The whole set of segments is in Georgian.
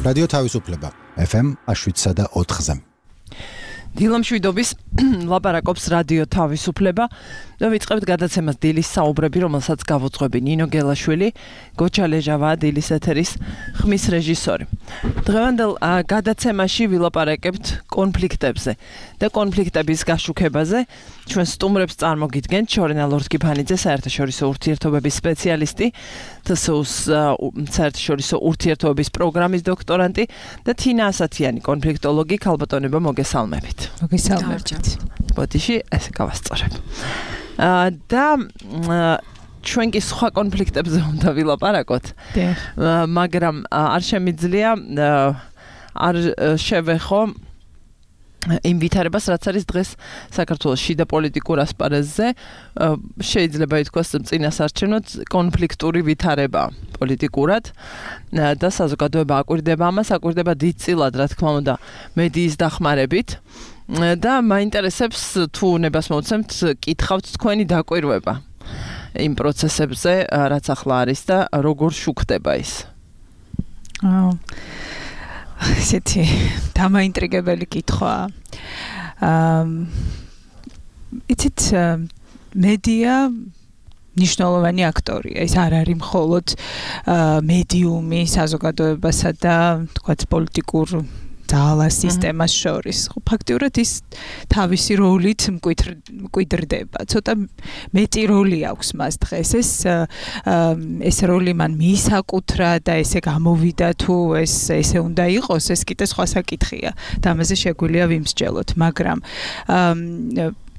რადიო თავისუფლება FM 7.4-ზე. დილა მშვიდობის ლაპარაკობს რადიო თავისუფლება და ვიწყებთ გადაცემას დილის საუბრები, რომელსაც გავუძღვები ნინო გელაშვილი, გოჩა ლეჟავა, დილის ეთერის ხმის რეჟისორი. დღევანდელ გადაცემაში ვილაპარაკებთ კონფლიქტებზე და კონფლიქტების გაშუქებაზე. ჩვენ სტუმრებს წარმოგიდგენთ შორენა ლორთქიფანიძე, საერთაშორისო ურთიერთობების სპეციალისტი, TSU-ს საერთაშორისო ურთიერთობების პროგრამის დოქტორანტი და თინა ასათიანი, კონფლიქტოლოგი. ქალბატონებო, მოგესალმებით. მოგესალმებით. ბოდიში ესე გავასწორებ. და ჩვენ კი სხვა კონფლიქტებზე უნდა ვილაპარაკოთ. მაგრამ არ შემიძლია არ შევეხო იმ ვითარებას, რაც არის დღეს საქართველოს შიდა პოლიტიკურ ასპარეზზე, შეიძლება ითქვას წინასარჩენოდ კონფლიქტური ვითარება პოლიტიკურად და საზოგადოება აკვირდება ამას, აკვირდება დიდწილად, რა თქმა უნდა, მედიის დახმარებით. და მაინტერესებს თუ ნებას მოვცემთ, კითხავთ თქვენი დაკვირვება იმ პროცესებზე, რაც ახლა არის და როგორ შუქდება ის. ესეთი დამაინტრიგებელი კითხვაა. იცით, მედია ნიშნულოვანი აქტორია. ის არ არის მხოლოდ მედიუმი საზოგადოებასა და თქვათ პოლიტიკურ ძალას სისტემას შორის. ფაქტიურად ის თავისი როლით მკვიდრდება. ცოტა მეტი როლი აქვს მას დღეს. ეს როლი მან მიისაკუთრა და ესე გამოვიდა თუ ესე უნდა იყოს, ეს კიდე სხვა საკითხია. და ამაზე შეგვიძლია ვიმსჯელოთ, მაგრამ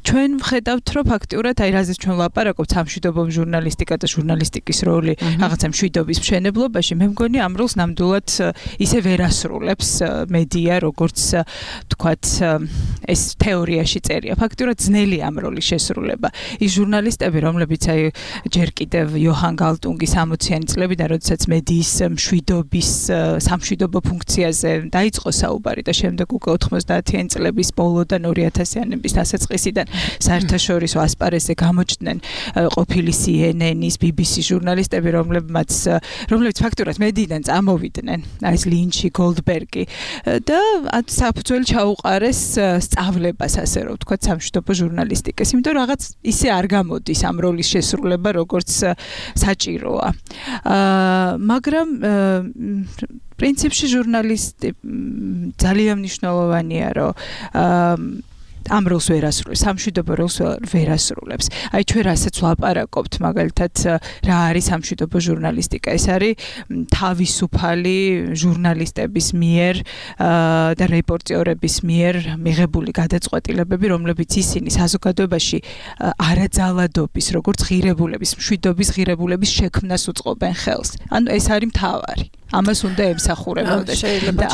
ჩვენ ვხედავთ, რომ ფაქტიურად აი რაზეც ჩვენ ვლაპარაკობთ, სამშვიდობო ჟურნალისტიკა და ჟურნალისტიკის როლი რაღაცა მშვიდობის მშენებლობაში, მე მგონი ამ როლს ნამდვილად ისე ვერ ასრულებს მედია, როგორც თქვათ ეს თეორიაში წერია. ფაქტიურად ძნელი ამ როლის შესრულება. ის ჟურნალისტები, რომლებიც აი ჯერ კიდევ იოჰან გალტუნგის 60-იანი წლებიდან, როდესაც მედიის მშვიდობის სამშვიდობო ფუნქციაზე დაიწყო საუბარი და შემდეგ უკვე 90-იანი წლების ბოლოდან 2000-იანების დასაწყისიდან საერთაშორისო ასპარეზზე გამოჩნდნენ ყოფილი CNN-ის, BBC ჟურნალისტები, რომლებიც ფაქტურად მედიიდან წამოვიდნენ, ეს ლინჩი, გოლდბერგი და საფუძველი ჩაუყარეს სწავლებას, ასე რომ ვთქვათ, სამშვიდობო ჟურნალისტიკის, იმიტომ რომ რაღაც ისე არ გამოდის ამ როლის შესრულება, როგორც საჭიროა. მაგრამ პრინციპში ჟურნალისტი ძალიან მნიშვნელოვანია, რომ ამ როლს ვერ ასრულებს, სამშვიდობო როლს ვერ ასრულებს. აი ჩვენ რასაც ვლაპარაკობთ, მაგალითად, რა არის სამშვიდობო ჟურნალისტიკა? ეს არის თავისუფალი ჟურნალისტების მიერ და რეპორტიორების მიერ მიღებული გადაწყვეტილებები, რომლებიც ისინი საზოგადოებაში არაძალადობის, როგორც ღირებულების, მშვიდობის ღირებულების შექმნას უწყობენ ხელს. ანუ ეს არის მთავარი. ამას უნდა ემსახურებოდეს. და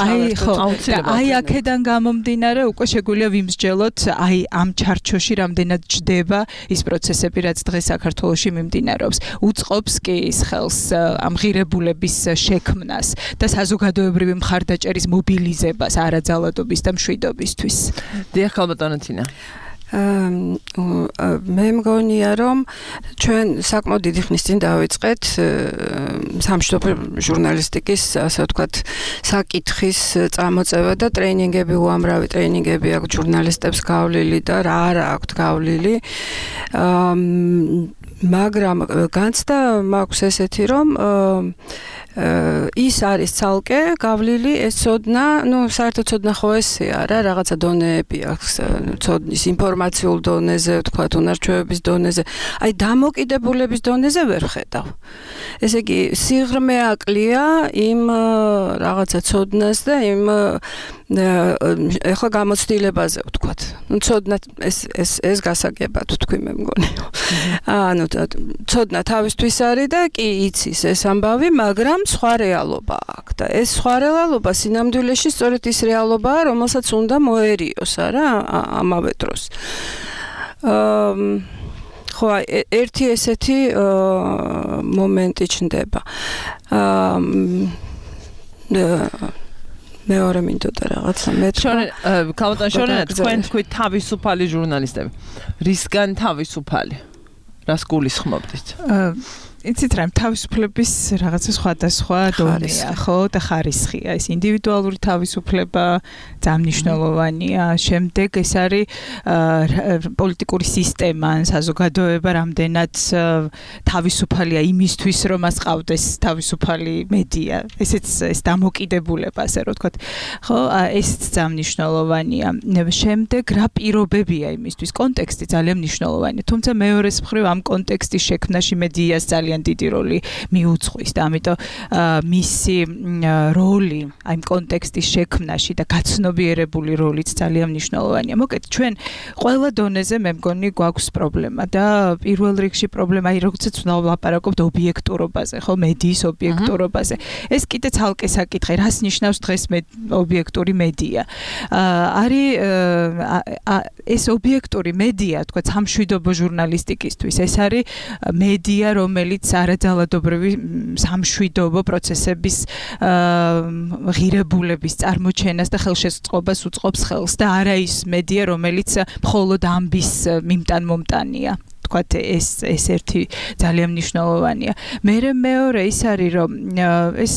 აი აქედან გამომდინარე უკვე შეგვიძლია ვიმსჯელოთ აი ამ ჩარჩოში რამდენად ჯდება ის პროცესები, რაც დღეს საქართველოში მიმდინარეობს. უწყობს კი ის ხელს ამ ღირებულების შექმნას და საზოგადოებრივი მხარდაჭერის მობილიზებას არაძალადობის და მშვიდობისთვის. დიახ, ქალბატონო თინა. მე მგონია, რომ ჩვენ საკმაოდ დიდი ხნის წინ დავიწყეთ სამშვიდობო ჟურნალისტიკის, ასე ვთქვათ, საკითხის წამოწევა და ტრეინინგები, უამრავი ტრეინინგები აქვს ჟურნალისტებს გავლილი და რა არა აქვთ გავლილი. მაგრამ განცდა მაქვს ესეთი, რომ ის არის ცალკე გავლილი, ეს ცოდნა, საერთოდ ცოდნა ხო ესეა რა, რაღაცა დონეები აქვს, ცოდნის ინფორმაციულ დონეზე, ვთქვათ, უნარჩვევების დონეზე, აი დამოკიდებულების დონეზე ვერ ხედავ. ესე იგი, სიღრმე აკლია იმ რაღაცა ცოდნას და იმ ეხლა გამოცდილებაზე, ვთქვათ. ცოდნა ეს გასაგებად ვთქვი, მე მგონი. ანუ ცოდნა თავისთვის არის და კი იცის ეს ამბავი, მაგრამ სხვა რეალობა აქვს და ეს სხვა რეალობა სინამდვილეში სწორედ ის რეალობაა, რომელსაც უნდა მოერიოს, არა, ამავე დროს. ხო, ერთი ესეთი მომენტი ჩნდება. მეორე მინდოდა რაღაცა ქალბატონ შორენა, თქვენ თქვით თავისუფალი ჟურნალისტები. რისგან თავისუფალი? რას გულისხმობთ? იცით რა, თავისუფლების რაღაცა სხვადასხვა დონეა, ხო, და ხარისხია. ეს ინდივიდუალური თავისუფლება ძალიან შემდეგ ეს არის პოლიტიკური სისტემა, საზოგადოება რამდენად თავისუფალია იმისთვის, რომ მას ყავდეს თავისუფალი მედია. ეს დამოკიდებულება, ასე რომ ვთქვათ. ხო, ესეც ძალიან მნიშვნელოვანია. შემდეგ რა პირობებია იმისთვის? კონტექსტი ძალიან მნიშვნელოვანია. თუმცა მეორეს მხრივ ამ კონტექსტის შექმნაში მედიას ძალიან დიდი როლი მიუძღვის და ამიტომ მისი როლი აი კონტექსტის შექმნაში და გაცნობიერებული როლიც ძალიან მნიშვნელოვანია. მოკეთ ჩვენ ყველა დონეზე მე მგონი გვაქვს პრობლემა და პირველ რიგში პრობლემა აი როგორც ვლაპარაკობთ ობიექტურობაზე, ხო, მედიის ობიექტურობაზე. ეს კიდე ცალკე საკითხი, რას ნიშნავს დღეს ობიექტური მედია? არის ეს ობიექტური მედია, თქვა სამშვიდობო ჟურნალისტიკისთვის, ეს არის მედია, რომელიც არაძალადობრივი სამშვიდობო პროცესების ღირებულების წარმოჩენას და ხელშეწყობას უწყობს ხელს და არა ის მედია, რომელიც მხოლოდ ამბის მიმტან-მომტანია. თქვათ ეს ერთი ძალიან მნიშვნელოვანია. მეორე ის არის რომ ეს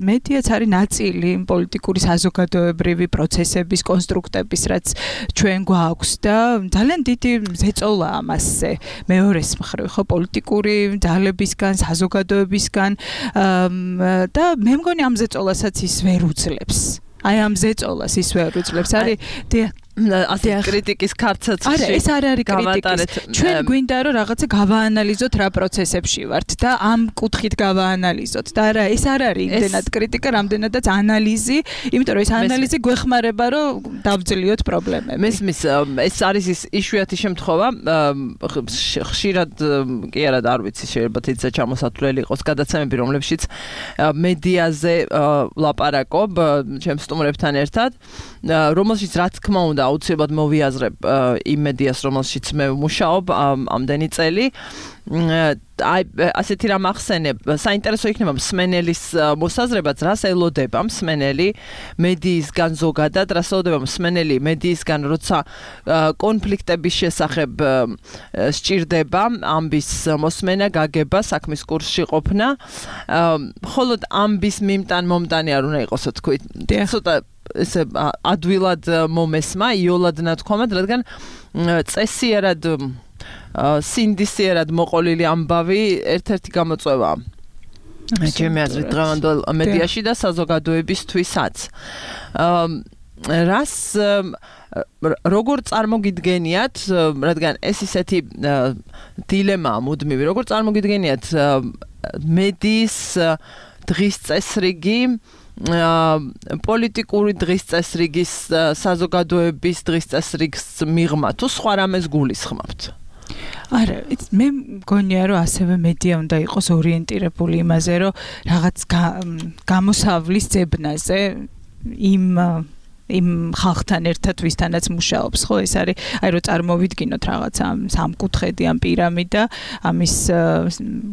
მედიაც არის ნაწილი პოლიტიკური საზოგადოებრივი პროცესების კონსტრუქტების, რაც ჩვენ გვაქვს და ძალიან დიდი ზეწოლა ამასზე. მეორეს მხრივ ხო პოლიტიკური ძალებისგან, საზოგადოებისგან და მე მგონი ამ ზეწოლასაც ის ვერ უძლებს. აი ამ ზეწოლას ის ვერ უძლებს. არის ასე კრიტიკის ქარცაც არა, ეს არ არის კრიტიკის. ჩვენ გვინდა რომ რაღაცა გავაანალიზოთ რა პროცესებში ვართ და ამ კუთხით გავაანალიზოთ და არა, ეს არ არის იმდენად კრიტიკა, რამდენადაც ანალიზი, იმიტომ რომ ეს ანალიზი გვეხმარება რომ დავძლიოთ პრობლემები. მესმის, ეს არის ის იშვიათი შემთხვევა, ხშირად კი არა და არ ვიცი, შეიძლება თითქოს ჩამოსათვლელი იყოს გადაცემები, რომლებშიც მედიაზე ვლაპარაკობ ჩემ სტუმრებთან ერთად, რომელშიც რა თქმა უნდა აუცილებლად მოვიაზრებ იმ მედიას, რომელშიც მე ვმუშაობ ამდენი წელი. აი ასეთი რამ ახსენებ, საინტერესო იქნება მსმენელის მოსაზრებაც, რას ელოდება მსმენელი მედიისგან ზოგადად, რას ელოდება მსმენელი მედიისგან, როცა კონფლიქტების შესახებ სჭირდება ამბის მოსმენა, გაგება, საქმის კურსში ყოფნა, მხოლოდ ამბის მიმტან-მომტანი არ უნდა იყოსო, თქვით. ცოტა ესე ადვილად მომესმა, იოლად ნათქვამად, რადგან წესიერად სინდისიერად მოყოლილი ამბავი ერთ-ერთი გამოწვევაა. ჩემი აზრით დღევანდელ მედიაში და საზოგადოებისთვისაც. რას როგორ წარმოგიდგენიათ, რადგან ეს ისეთი დილემაა მუდმივი, როგორ წარმოგიდგენიათ მედიის დღის წესრიგი, პოლიტიკური დღის წესრიგის, საზოგადოების დღის წესრიგის მიღმა თუ სხვა რამეს გულისხმობთ? არა, მე მგონია რომ ასევე მედია უნდა იყოს ორიენტირებული იმაზე, რომ რაღაც გამოსავლის ძებნაზე იმ ხალხთან ერთად ვისთანაც მუშაობს, ხო, ეს არის, აი რომ წარმოვიდგინოთ რაღაცა სამკუთხედი ამ პირამიდა, ამის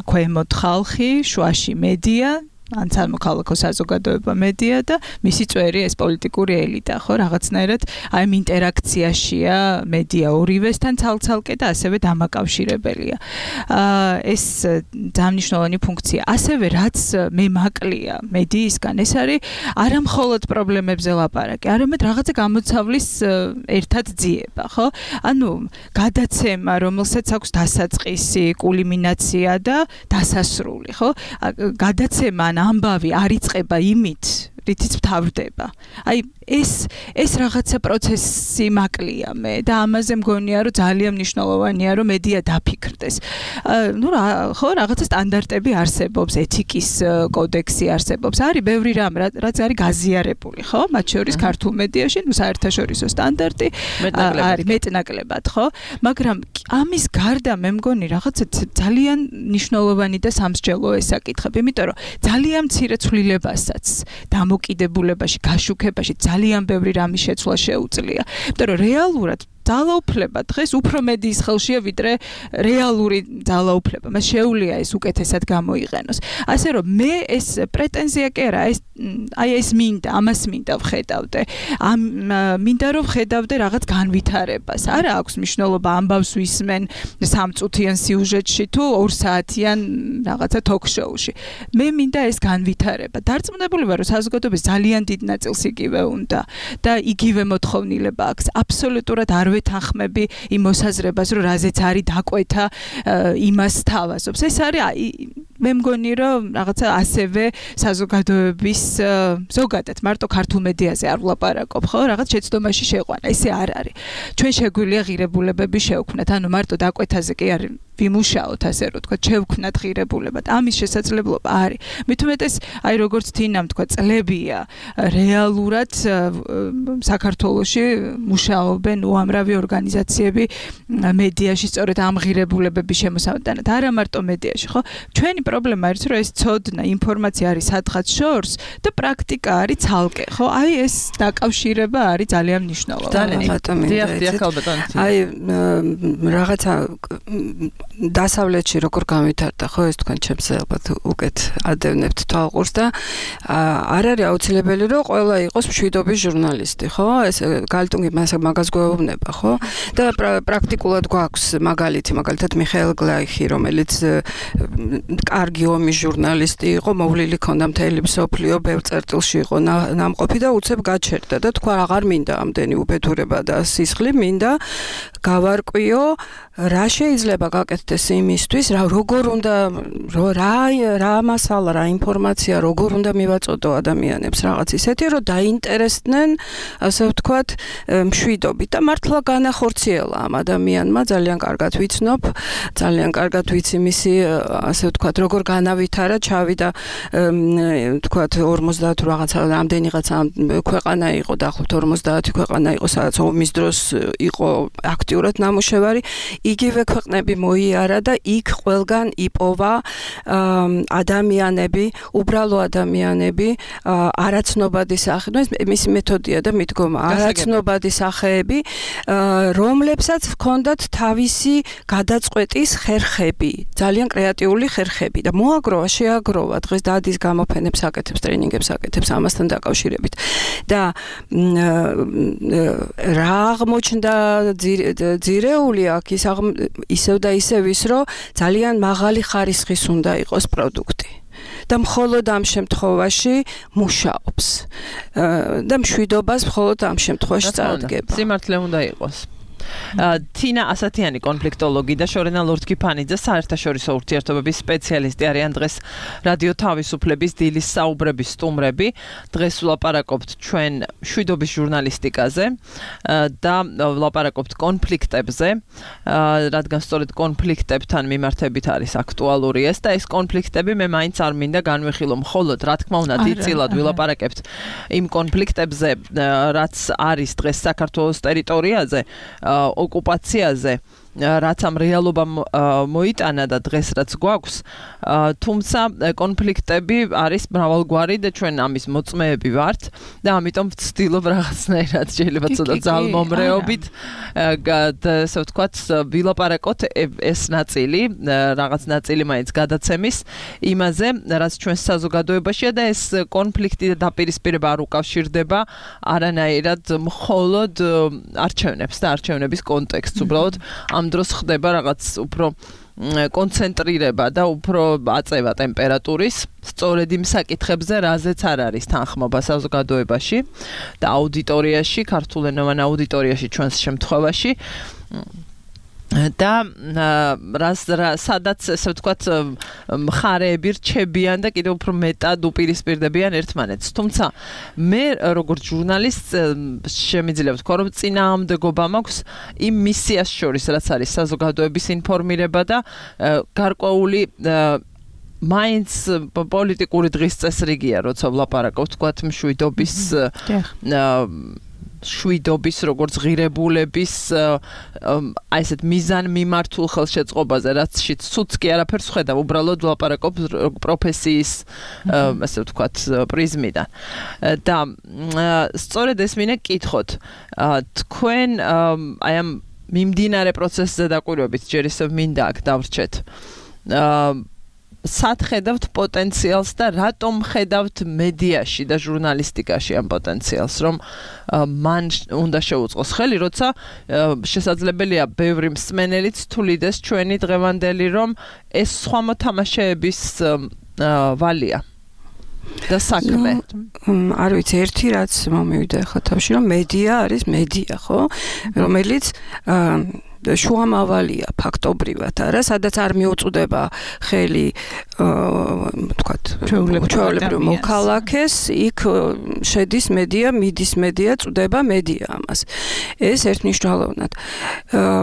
ქვემოთ ხალხი, შუაში მედია, ან სამოქალაქო საზოგადოება მედია და მისი წვერი ეს პოლიტიკური ელიტა, ხო, რაღაცნაირად აი ამ ინტერაქციაშია მედია ორივესთან ცალ-ცალკე და ასევე დამაკავშირებელია. ეს ძალიან მნიშვნელოვანი ფუნქცია. ასევე რაც მე მაკლია მედიისგან, ეს არის არა მხოლოდ პრობლემებზე ლაპარაკი, არამედ რაღაცა გამოცავლის ერთად ძიება, ხო? ანუ გადაცემა, რომელსაც აქვს დასაწყისი, კულმინაცია და დასასრული, ხო? გადაცემა ამბავი არ იწყება იმით, რითიც მთავრდება. აი ეს რაღაცა პროცესი მაკლია მე და ამაზე მგონია რომ ძალიან მნიშვნელოვანია რომ მედია დაფიქრდეს. ნუ ხო რაღაცა სტანდარტები არსებობს, ეთიკის კოდექსი არსებობს. არის ბევრი რამ, რაც არის გაზიარებული, ხო? მათ შორის ქართულ მედიაში, ნუ საერთაშორისო სტანდარტი არის მეტნაკლებად, ხო? მაგრამ ამის გარდა მე მგონი რაღაცა ძალიან მნიშვნელოვანი და სამსჯელო ეს საკითხები, იმიტომ რომ ძალიან მცირე ცვლილებასაც დამოკიდებულებაში, გაშუქებაში ძალიან ბევრი რამის შეცვლა შეუძლია. იმიტომ რომ რეალურად ძალაუფლება დღეს უფრო მედიის ხელშია ვიდრე რეალური ძალაუფლება. მას შეუძლია ეს უკეთესად გამოიყენოს. ასე რომ მე ეს პრეტენზია კი არა, ეს მინდა, ამას მინდა ვხედავდე. მინდა რომ ვხედავდე რაღაც განვითარებას. არა აქვს მნიშვნელობა ამბავს ვისმენ 3 წუთიან სიუჟეტში თუ 2 საათიან რაღაცა ток-შოუში. მე მინდა ეს განვითარება. დარწმუნებული ვარ, რომ საზოგადოების ძალიან დიდ ნაწილს იგივე უნდა და იგივე მოთხოვნილება აქვს. აბსოლუტურად არ ვეთანხმები იმ მოსაზრებას, რომ რაზეც არის დაკვეთა იმას თავაზობს. ეს არის მე მგონი რომ რაღაცა ასევე საზოგადოების ზოგადად მარტო ქართულ მედიაზე არ ვლაპარაკობ, ხო? რაღაც შეცდომაში შეყვანა. ესე არ არის. ჩვენ შეგვიძლია ღირებულებები შევქმნათ, ანუ მარტო დაკვეთაზე კი არ ვიმუშაოთ, ასე რომ თქვა, შევქმნათ ღირებულებად. ამის შესაძლებლობა არის. მით უმეტეს, აი როგორც თინამ თქვა, წლებია რეალურად საქართველოში მუშაობენ უამრავი ორგანიზაციები მედიაში, სწორედ ამ ღირებულებების შემოსავდანად. არა მარტო მედიაში, ხო? ჩვენი პრობლემა არის, რომ ეს ცოდნა, ინფორმაცია არის სადღაც შორს და პრაქტიკა არის ცალკე, ხო? აი ეს დაკავშირება არის ძალიან მნიშვნელოვანი. აი რაღაცა დასავლეთში როგორ გამვითარდა, ხო, ეს თქვენ ჩემს ალბათ უკეთ ადევნებთ თვალყურს და არ არის აუცილებელი რომ ყველა იყოს მშვიდობის ჟურნალისტი, ხო? ეს გალტუნგი მაგას გვეუბნება, ხო? და პრაქტიკულად გვაქვს მაგალითად მიხეილ გლაიხი, რომელიც კარგი ომის ჟურნალისტი იყო, მოვლილი ქონდა მთელი მსოფლიო, ბევრ წერტილში იყო ნამყოფი და უცებ გაჩერდა და თქვა აღარ მინდა ამდენი უბედურება და სისხლი, მინდა გავარკვიო რა შეიძლება გაკეთდეს იმისთვის, როგორ უნდა რა მასალა, რა ინფორმაცია, როგორ უნდა მივაწოდო ადამიანებს რაღაც ისეთი, რომ დაინტერესდნენ, ასე ვთქვათ, მშვიდობით და მართლა განახორციელა ამ ადამიანმა, ძალიან კარგად ვიცნობ, ძალიან კარგად ვიცი მისი, ასე ვთქვათ, როგორ განავითარა, ჩავიდა, ვთქვათ, 50 რაღაცა რამდენიღაცა ქვეყანა იყო, დაახლოებით 50 ქვეყანა იყო, სადაც ომის დროს იყო აქტიურად ნამუშევარი, იგივე ქვეყნები მოიარა და იქ ყველგან იპოვა ადამიანები, უბრალო ადამიანები, არაცნობადი სახეები, მისი მეთოდია და მიდგომა, არაცნობადი სახეები, რომლებსაც ჰქონდათ თავისი გადაწყვეტის ხერხები, ძალიან კრეატიული ხერხები და მოაგროვა, შეაგროვა, დღეს დადის გამოფენებს აკეთებს, ტრენინგებს აკეთებს ამასთან დაკავშირებით. და რა აღმოჩნდა ძირეული აქ ისევ და ისევ ის, რომ ძალიან მაღალი ხარისხის უნდა იყოს პროდუქტი. და მხოლოდ ამ შემთხვევაში მუშაობს. და მშვიდობას მხოლოდ ამ შემთხვევაში წარდგება. სიმართლე უნდა იყოს. თინა ასათიანი კონფლიქტოლოგი და შორენა ლორთქიფანიძე საერთაშორისო ურთიერთობების სპეციალისტი არიან დღეს რადიო თავისუფლების დილის საუბრების სტუმრები. დღეს ვლაპარაკობთ ჩვენ მშვიდობის ჟურნალისტიკაზე და ვლაპარაკობთ კონფლიქტებზე, რადგან სწორედ კონფლიქტებთან მიმართებით არის აქტუალური ეს და ეს კონფლიქტები მე მაინც არ მინდა განვიხილო მხოლოდ, რა თქმა უნდა, დიდწილად ვილაპარაკებთ იმ კონფლიქტებზე, რაც არის დღეს საქართველოს ტერიტორიაზე, ოკუპაციაზე, რაც ამ რეალობამ მოიტანა და დღეს რაც გვაქვს, თუმცა კონფლიქტები არის მრავალგვარი და ჩვენ ამის მოწმეები ვართ და ამიტომ ვცდილობ რაღაცნაირად შეიძლება ცოტა ძალმომრეობით ასე ვთქვათ ვილაპარაკოთ ეს ნაწილი, რაღაც ნაწილი მაინც გადაცემის იმაზე, რაც ჩვენს საზოგადოებაშია და ეს კონფლიქტი და დაპირისპირება არ უკავშირდება არანაირად მხოლოდ არჩევნებს და არჩევნების კონტექსტს, უბრალოდ ამ დროს ხდება რაღაც უფრო კონცენტრირება და უფრო აწევა ტემპერატურის სწორედ იმ საკითხებზე, რაზეც არ არის თანხმობა საზოგადოებაში და აუდიტორიაში, ქართულენოვან აუდიტორიაში ჩვენს შემთხვევაში და სადაც ესე ვთქვათ მხარეები რჩებიან და კიდევ უფრო მეტად უპირისპირდებიან ერთმანეთს. თუმცა მე როგორც ჟურნალისტ შემიძლია ვთქვა, რომ წინააღმდეგობა მაქვს იმ მისიას შორის, რაც არის საზოგადოების ინფორმირება და გარკვეული მაინც პოლიტიკური დღის წესრიგია, როცა ვლაპარაკობ, ვთქვათ, მშვიდობის შვიდობის, როგორც ღირებულების აი ესეთ მიზან მიმართულ ხელშეწყობაზე, რაც ცუდს კი არაფერს ხედავ, უბრალოდ ვლაპარაკობ პროფესიის ასე ვთქვათ პრიზმიდან. და სწორედ ეს მინდა გკითხოთ. თქვენ აი ამ მიმდინარე პროცესზე დაკვირვებით, ჯერ ისევ მინდა აქ დავრჩეთ. სად ხედავთ პოტენციალს და რატომ ხედავთ მედიაში და ჟურნალისტიკაში ამ პოტენციალს, რომ მან უნდა შეუწყოს ხელი, როცა შესაძლებელია ბევრი მსმენელიც თulides ჩვენი დღევანდელი, რომ ეს სხვა მოთამაშეების ვალია და საქმე. არ ვიცი, ერთი რაც მომივიდა ხა თავში, რომ მედია არის მედია, ხო? რომელიც შუამავალია ფაქტობრივად, არა, სადაც არ მიუწვდება ხელი ვთქვათ, ჩვეულებრივ მოქალაქეს, იქ შედის მედია, მიდის მედია, წვდება მედია ამას. ეს ერთნიშნულოვნად.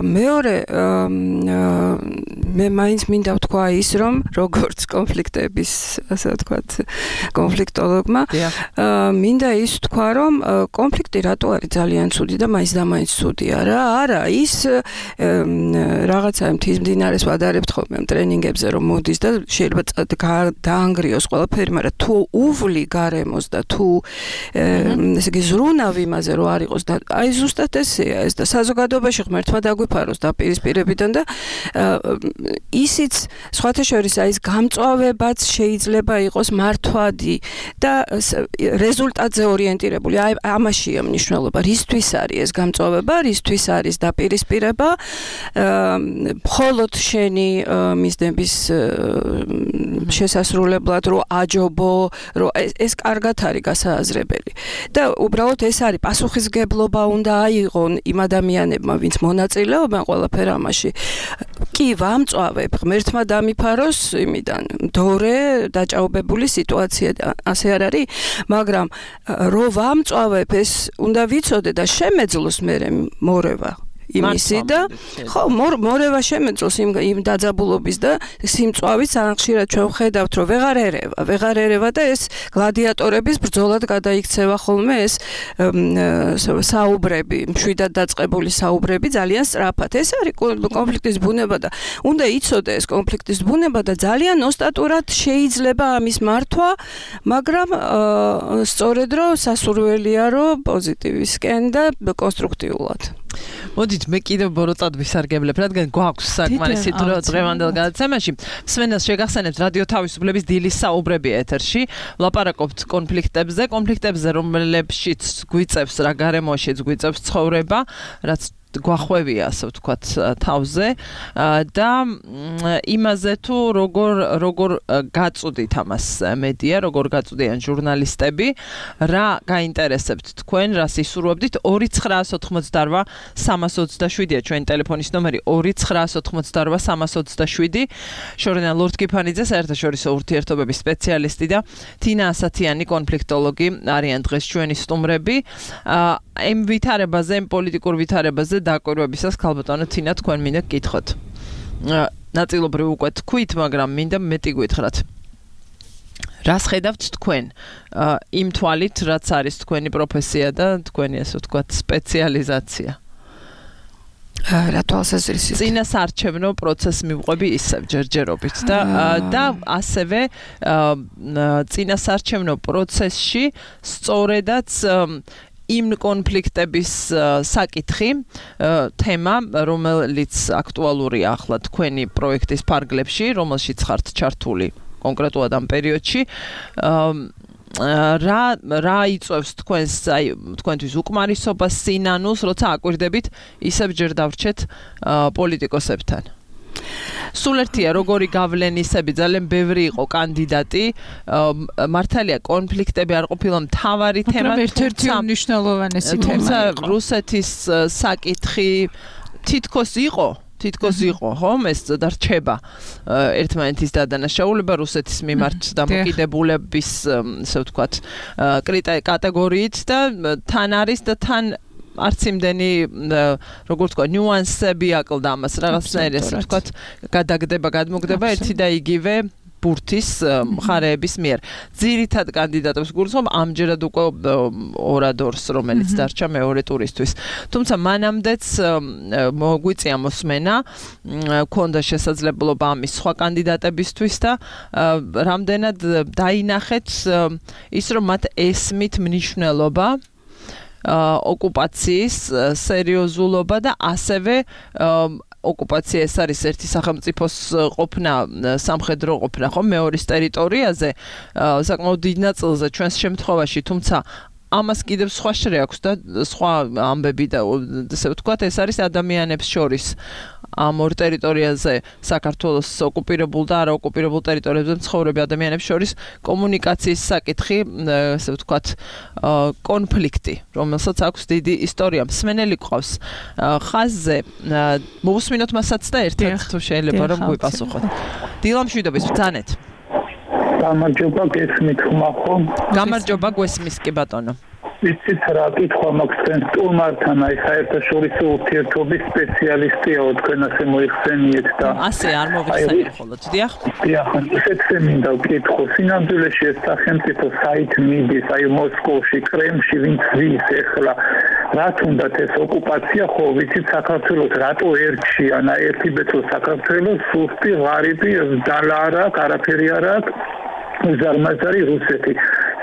მეორე, მე მაინც მინდა ვთქვა ის, რომ როგორც კონფლიქტების, ასე ვთქვათ, კონფლიქტოლოგმა, მინდა ის ვთქვა, რომ კონფლიქტი რატო არის ძალიან ცუდი და მაინც და მაინც ცუდია, რა? არა, ის რაღაცა მთის მდინარეს ვადარებთ ხოლმე ტრენინგებზე, რომ მოდის და შეიძლება დაანგრიოს ყველაფერი, მაგრამ თუ უვლი გარემოს და თუ ესე იგი ზრუნავ იმაზე რომ არ იყოს და აი ზუსტად ესეა ეს და საზოგადოებაში ღმერთმა დაგვიფაროს დაპირისპირებიდან და ისიც სხვათა შორის აი ეს გამწვავებაც შეიძლება იყოს მართვადი და რეზულტატზე ორიენტირებული. აი ამაშია მნიშვნელობა. რისთვის არის ეს გამწვავება, რისთვის არის დაპირისპირება, მხოლოდ შენი მიზნების შესასრულებლად რომ აჯობო, რომ ეს კარგად არის გასააზრებელი. და უბრალოდ ეს არის პასუხისგებლობა უნდა აიღონ იმ ადამიანებმა, ვინც მონაწილეობენ ყველაფერ ამაში. კი ვამწვავებ, ღმერთმა დამიფაროს იმიდან. დორე დაჭაობებული სიტუაცია ასე არ არის, მაგრამ რომ ვამწვავებ ეს უნდა ვიცოდე და შემეძლოს მე მორევა. იმისი და ხო მორევა შემეძლოს იმ დაძაბულობის და სიმწვავის ხშირად ჩვენ ვხედავთ რომ ვეღარ ერევა და ეს გლადიატორების ბრძოლად გადაიქცევა ხოლმე ეს საუბრები, მშვიდად დაწყებული საუბრები ძალიან სწრაფად. ეს არის კონფლიქტის ბუნება და უნდა იცოდე ეს კონფლიქტის ბუნება და ძალიან ოსტატურად შეიძლება ამის მართვა, მაგრამ სწორედ რომ სასურველია რომ პოზიტივისკენ და კონსტრუქტიულად. მოდით მე კიდევ ბოროტად ვისარგებლებ, რადგან გვაქვს საკმარისი დრო დღევანდელ გადაცემაში. მსმენელს შეგახსენებთ რადიო თავისუფლების დილის საუბრები ეთერში. ვლაპარაკობთ კონფლიქტებზე, რომლებშიც გვიწევს რა გარემოშიც გვიწევს ცხოვრება, რაც გვახვევია, ასე ვთქვათ, თავზე და იმაზე თუ როგორ გაწუდით ამას მედია, როგორ გაწუდიან ჟურნალისტები, რა გაინტერესებთ თქვენ, რას ისურვებდით? 2988327-ია ჩვენი ტელეფონის ნომერი, 2988327. შორენა ლორდ-კიფანიძე, საერთაშორისო ურთიერთობების სპეციალისტი და თინა ასათიანი კონფლიქტოლოგი არიან დღეს ჩვენი სტუმრები. ამ ვითარებაზე, ამ პოლიტიკურ ვითარებაზე დაკვირვებისას ქალბატონო თინა თქვენ მინდა გკითხოთ. ნაწილობრივ უკვე თქვით, მაგრამ მინდა მეტი გითხრათ. რას ხედავთ თქვენ იმ თვალით, რაც არის თქვენი პროფესია და თქვენი ასე ვთქვათ სპეციალიზაცია? რა თვალსაზრისით? წინასარჩევნო პროცესს მივყვები ისევ ჯერჯერობით და ასევე წინასარჩევნო პროცესში სწორედაც იმ კონფლიქტების საკითხი, თემა, რომელიც აკტუალურია ახლა თქვენი პროექტის ფარგლებში, რომელშიც ხართ ჩართული კონკრეტულად ამ პერიოდში, რა იწვევს თქვენთვის უკმარისობას, სინანულს, როცა აკვირდებით, ისევ ჯერ დავრჩეთ პოლიტიკოსებთან. სულ ერთია როგორი გავლენისები, ძალიან ბევრი იყო კანდიდატი, მართალია კონფლიქტები არ ყოფილა მთავარი თემა, ერთ-ერთი მნიშვნელოვანესი თემა იყო. რუსეთის საკითხი თითქოს იყო, ხო, ეს დარჩება ერთმანეთის დადანაშაულება რუსეთის მიმართ დამოკიდებულების, ასე ვთქვათ, კატეგორიით და თან არის და თან არც იმდენი როგორ ვთქვა ნიუანსები აკლდა ამას რაღაცნაირი ასე ვთქვათ გადაგდება გადმოგდება ერთი და იგივე ბურთის მხარეების მიერ. ძირითად კანდიდატებს გულისხმობ ამჯერად უკვე ორადორს, რომელიც დარჩა მეორე ტურისთვის. თუმცა მანამდეც მოგვიწია მოსმენა, ქონდა შესაძლებლობა ამის სხვა კანდიდატებისთვის და რამდენად დაინახეთ ის, რომ მათ ესმით მნიშვნელობა ოკუპაციის სერიოზულობა და ასევე ოკუპაცია ეს არის ერთი სახელმწიფოს ყოფნა, სამხედრო ყოფნა, ხო, მეორის ტერიტორიაზე, საკმაოდ დიდ ნაწილზე ჩვენს შემთხვევაში, თუმცა ამას კიდევ სხვა შრე აქვს და სხვა ამბები და ესე ვთქვათ, ეს არის ადამიანებს შორის ამ ორ ტერიტორიაზე საქართველოს ოკუპირებულ და არა ოკუპირებულ ტერიტორიებზე მცხოვრები ადამიანებს შორის კომუნიკაციის საკითხი, ესე ვთქვათ, კონფლიქტი, რომელსაც აქვს დიდი ისტორია. მსმენელი ყავს ხაზზე, მოვუსმინოთ მასაც და ერთად თუ შეიძლება რომ გვიპასუხოთ. დილა მშვიდობის, ბრძანეთ. გამარჯობა, გესმით ხომ? გამარჯობა, გვესმის კი ბატონო. იცით რა კითხვა მაქვს თქვენ სტუმართან, აი საერთაშორისო ურთიერთობის სპეციალისტია, თქვენ ასე მოიხსენიეთ და ასე არ მოვიხსენიებ ხოლმე, დიახ? დიახ, ისეთზე მინდა ვკითხო, სინამდვილეში ეს სახელმწიფო საით მიდის, აი მოსკოვში, კრემლში, ვინც ვის ეხლა, რა თუნდაც ეს ოკუპაცია, ხო, ვიცით საქართველოს რატო ერთში, ანა ერთი ბეწო საქართველოს, სუსტი, ღარიბი, დალა არ აქვს, არაფერი არ აქვს, უზარმაზარი რუსეთი.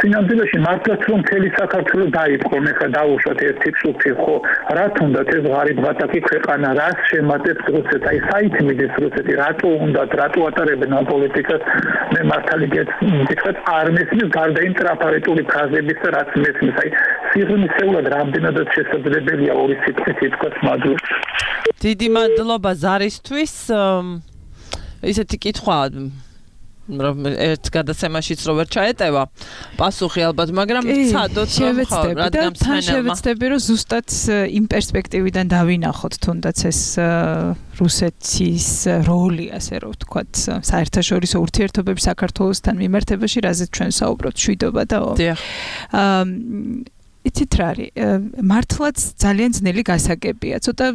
სინამდვილეში მართლაც რომ მთელი საქართველო დაიწყონ, ეხლა დაუშვათ ერთი წუთი, ხო, რა თუნდაც ეს ღარიბ-ბატაკი ქვეყანა, რას შემატებს რუსეთს, აი საით მიდის რუსეთი, რატო უნდათ, რატო ატარებენ ამ პოლიტიკას, მე მართალი გითხრათ, არ მესმის გარდა იმ ტრაფარეტული ფრაზების და რაც მესმის, აი სიღრმისეულად რამდენადაც შესაძლებელია ორი სიტყვით ითქვას მადლობა. დიდი მადლობა ზარისთვის. ისეთი კითხვა ერთ გადაცემაშიც რო ვერ ჩაეტევა პასუხი ალბათ, მაგრამ ვცადოთ რადგან შევეცდები რომ ზუსტად იმ პერსპექტივიდან დავინახოთ თუნდაც ეს რუსეთის როლი, ასე რომ ვთქვათ, საერთაშორისო ურთიერთობების საქართველოსთან მიმართებაში, რაზეც ჩვენ საუბრობთ, შვიდობა და იცით რა არის, მართლაც ძალიან ძნელი გასაგებია, ცოტა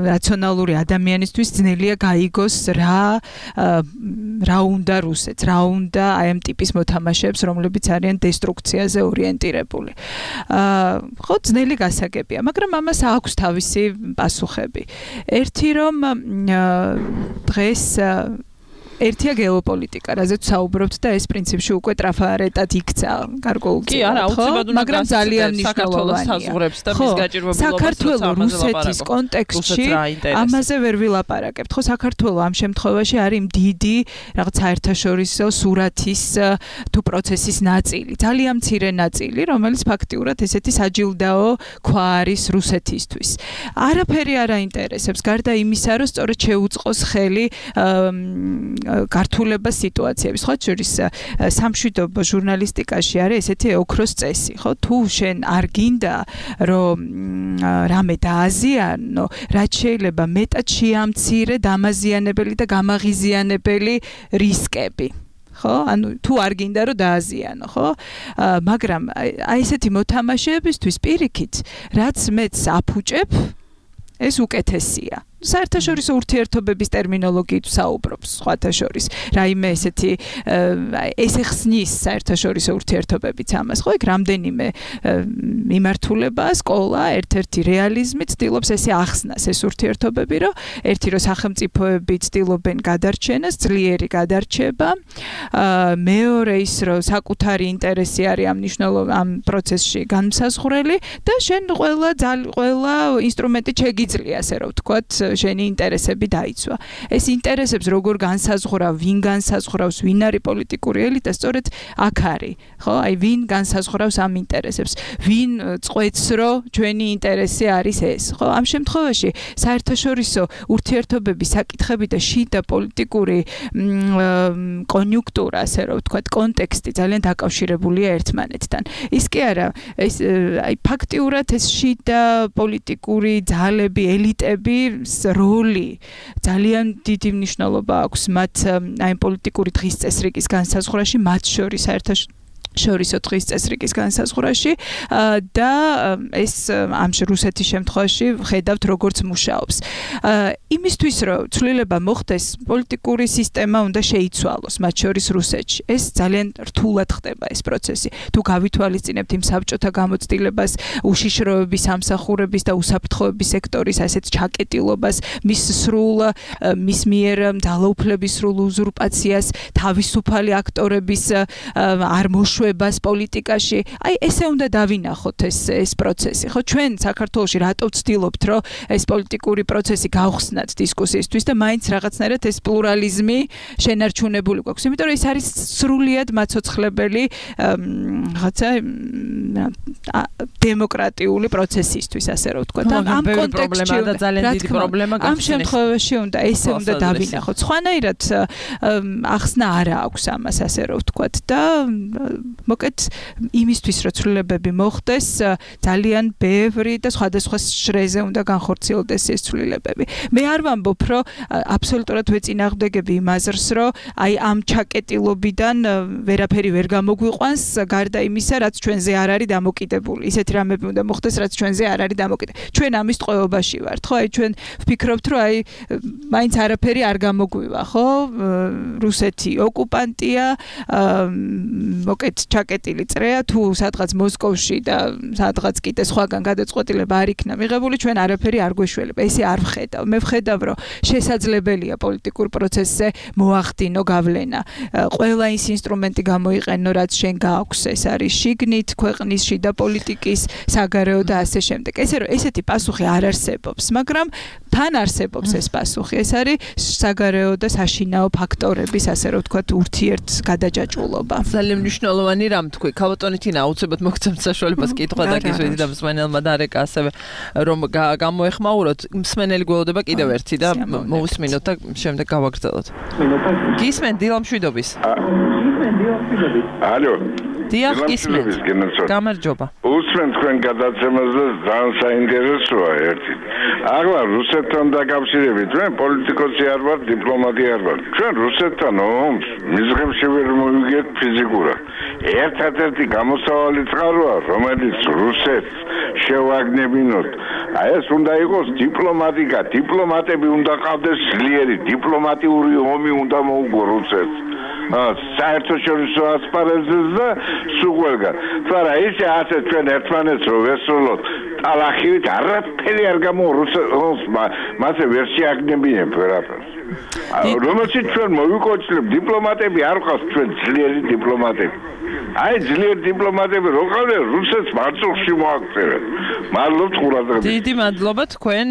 რაციონალური ადამიანისთვის ძნელია გაიგოს რა უნდა რუსეთს, რა უნდა აი ამ ტიპის მოთამაშეებს, რომლებიც არიან დესტრუქციაზე ორიენტირებული. ხო, ძნელი გასაგებია, მაგრამ ამას აქვს თავისი პასუხები. ერთი რომ დღეს ერთია გეოპოლიტიკა, რაზეც საუბრობთ და ეს პრინციპში უკვე ტრაფარეტად იქცა გარკვეულ კი, არა, აუცილებლად უნდა მაგრამ ძალიან მნიშვნელოვანია. საზღვრებს და მის გაჭირვებულობას საქართველოს რუსეთის კონტექსტში ამაზე ვერ ვილაპარაკებთ. ხო, საქართველოს ამ შემთხვევაში არის დიდი რაღაც საერთაშორისო სურათის თუ პროცესის ნაწილი, ძალიან მცირე ნაწილი, რომელიც ფაქტიურად ესეთი საჯილდაო ქვა არის რუსეთისთვის. არაფერი არ აინტერესებს, გარდა იმისა, რომ სწორედ შეუწყოს ხელი გართულება სიტუაციების, ხო, შორის სამშვიდობო ჟურნალისტიკაში არის ესეთი ოქროს წესი, ხო, თუ შენ არ გინდა რომ რამე დააზიანო, რაც შეიძლება მეტად შეამცირე დამაზიანებელი და გამაღიზიანებელი რისკები. ხო, ანუ თუ არ გინდა რომ დააზიანო, ხო? მაგრამ აი ესეთი მოთამაშეებისთვის პირიქით, რაც მეც აფუჭებ, ეს უკეთესია. საერთაშორისო ურთიერთობების ტერმინოლოგიით საუბრობს სხვათა შორის. რაიმე ესეთი ეს ხსნის საერთაშორისო ურთიერთობებიც ამას, ხო, იქ რამდენიმე მიმართულება, სკოლა, ერთ-ერთი რეალიზმი ცდილობს ესე ახსნას ეს ურთიერთობები, რომ ერთი რომ სახელმწიფოები ცდილობენ გადარჩენას, ძლიერი გადარჩება, მეორე ის რომ საკუთარი ინტერესი არის ამ პროცესში განმსაზღვრელი და შენ ყველა ინსტრუმენტი შეგიძლია, ასე რომ ვთქვათ, შენი ინტერესები დაიცვა. ეს ინტერესებს როგორ განსაზღვრავ, ვინ განსაზღვრავს, ვინ არის პოლიტიკური ელიტა, სწორედ აქ არის, ხო? აი ვინ განსაზღვრავს ამ ინტერესებს, ვინ წყვეტს, რომ ჩვენი ინტერესი არის ეს, ხო? ამ შემთხვევაში საერთაშორისო ურთიერთობების საკითხები და შიდა პოლიტიკური კონიუნქტურა, ასე რომ ვთქვათ, კონტექსტი ძალიან დაკავშირებულია ერთმანეთთან. ის კი არა, ეს აი ფაქტიურად ეს შიდა პოლიტიკური ძალები, ელიტები როლი ძალიან დიდი მნიშვნელობა აქვს მათ აი პოლიტიკური დღის წესრიგის განსაზღვრაში, მათ შორის შორისო დღის წესრიგის განსაზღვრაში და ეს ამ რუსეთის შემთხვევაში ხედავთ როგორც მუშაობს. იმისთვის რომ ცვლილება მოხდეს, პოლიტიკური სისტემა უნდა შეიცვალოს, მათ შორის რუსეთში. ეს ძალიან რთულად ხდება ეს პროცესი. თუ გავითვალისწინებთ იმ საბჭოთა გამოცდილებას, უშიშროების, სამსახურების და უსაფრთხოების სექტორის ასეთ ჩაკეტილობას, მის მიერ ძალაუფლების სრულ უზურპაციას, თავისუფალი აქტორების არ მოშვებას პოლიტიკაში. აი ესე უნდა დავინახოთ ეს პროცესი. ხო, ჩვენ საქართველოში რატო ვცდილობთ, რომ ეს პოლიტიკური პროცესი გავხსნათ დისკუსიისთვის და მაინც რაღაცნაირად ეს პლურალიზმი შენარჩუნებული გვაქვს. იმიტომ რომ ეს არის სრულიად მაცოცხლებელი რაღაცა დემოკრატიული პროცესისთვის, ასე რომ ვთქვა. ამ კონტექსტში და ძალიან დიდი პრობლემა ამ შემთხვევაში უნდა ესე უნდა დავინახოთ. სხვანაირად ახსნა არა აქვს ამას, ასე რომ ვთქვა და მოკეთ იმისთვის რომ ცვლილებები მოხდეს, ძალიან ბევრი და სხვადასხვა შრეზე უნდა განხორციელდეს ეს ცვლილებები. მე არ ვამბობ, რომ აბსოლუტურად ვეწინააღმდეგები იმ აზრს, რომ აი ამ ჩაკეტილობიდან ვერაფერი ვერ გამოგვიყვანს, გარდა იმისა, რაც ჩვენზე არ არის დამოკიდებული. ისეთი რამები უნდა მოხდეს, რაც ჩვენზე არ არის დამოკიდებული. ჩვენ ამის ტყვეობაში ვართ, ხო? აი ჩვენ ვფიქრობთ, რომ აი მაინც არაფერი არ გამოგვივა, ხო? რუსეთი ოკუპანტია, მოკეთ ჩაკეტილი წრეა, თუ სადღაც მოსკოვში და სადღაც კიდე სხვაგან გადაწყვეტილება არ იქნა მიღებული, ჩვენ არაფერი არ გვეშველება. ესე არ ვხედავ. მე ვხედავ, რომ შესაძლებელია პოლიტიკურ პროცესზე მოახდინო გავლენა. ყველა ის ინსტრუმენტი გამოიყენო, რაც შენ გააქვს, ეს არის შიგნით ქვეყნის შიდა პოლიტიკის, საგარეო და ასე შემდეგ. ესეთი პასუხი არ არსებობს, მაგრამ თან არსებობს ეს პასუხი. ეს არის საგარეო და საშინაო ფაქტორების, ასე რომ ვთქვათ, ურთიერთ გადაჯაჭვულობა. ძალიან მნიშვნელოვანი რამ თქვი. ქალბატონი თინა აუცილებლად მოგცემთ საშუალებას კითხვა დაგისვიდით და მსმენელმა დარეკა ასევე რომ გამოეხმაუროთ. მსმენელი გველოდება კიდევ ერთი და მოусმინოთ და შემდეგ გავაგრძელოთ. გისმენ დილამშვიდობის. ალო. დიახ, გისმენ. გამარჯობა. უსმენ თქვენ გადაცემაზე ძალიან საინტერესოა ერთი. ახლა რუსეთთან დაკავშირებით ჩვენ პოლიტიკოსი არ ვარ, დიპლომატი არ ვარ. ჩვენ რუსეთთან ომს მიზღებში ვერ მოვიგეთ ფიზიკურად. ერთადერთი გამოსავალი წყაროა, რომელიც რუსეთს შევაგნებინოთ. აი ეს უნდა იყოს დიპლომატიკა, დიპლომატები უნდა ყავდეს ძლიერი, დიპლომატიური ომი უნდა მოუგო რუსეთს. საერთაშორისო ასპარეზზე და სულ თორე ისე ასე ჩვენ ერთმანეთს რო ვესრულოთ ტალახივით არაფერი არ რუსეთს მასე ვერ შეაგნებინებ ვერაფერს. რომელშიც ჩვენ მოვიკოჩლებ დიპლომატები არ ყავს ჩვენ ძლიერი დიპლომატები. აი ძლიერი დიპლომატები რო ყავდნენ რუსეთს მარწუხში მოაქცევენ. მადლობთ ყურადღებისთვის. დიდი მადლობა თქვენ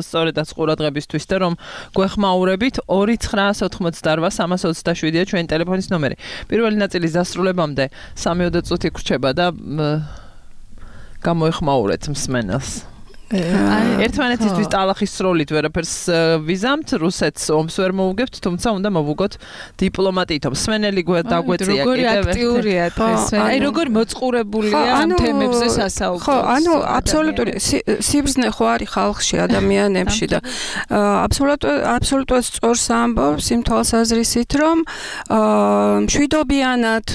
სწორედაც ყურადღებისთვის და რომ გვეხმაურებით 2988327-ია ჩვენი ტელეფონის ნომერი. პირველი ნაწილის დასრულებამდე 3-4 წუთი გრჩება და გამოეხმაურეთ მსმენელს. ერთმანეთისთვის ტალახის სროლით ვერაფერს ვიზამთ, რუსეთს ომს ვერ მოუგებთ, თუმცა უნდა მოვუგოთ დიპლომატიით. მსმენელი დაგვეწია კიდევ. როგორი აქტიურია დღეს. აი როგორ მოწყურებულია ამ თემებზე სასაუბრო. ხო, ანუ აბსოლუტური სიბრძნე ხო არის ხალხში, ადამიანებში და აბსოლუტურად სწორს ამბობს იმ თვალსაზრისით, რომ მშვიდობიანად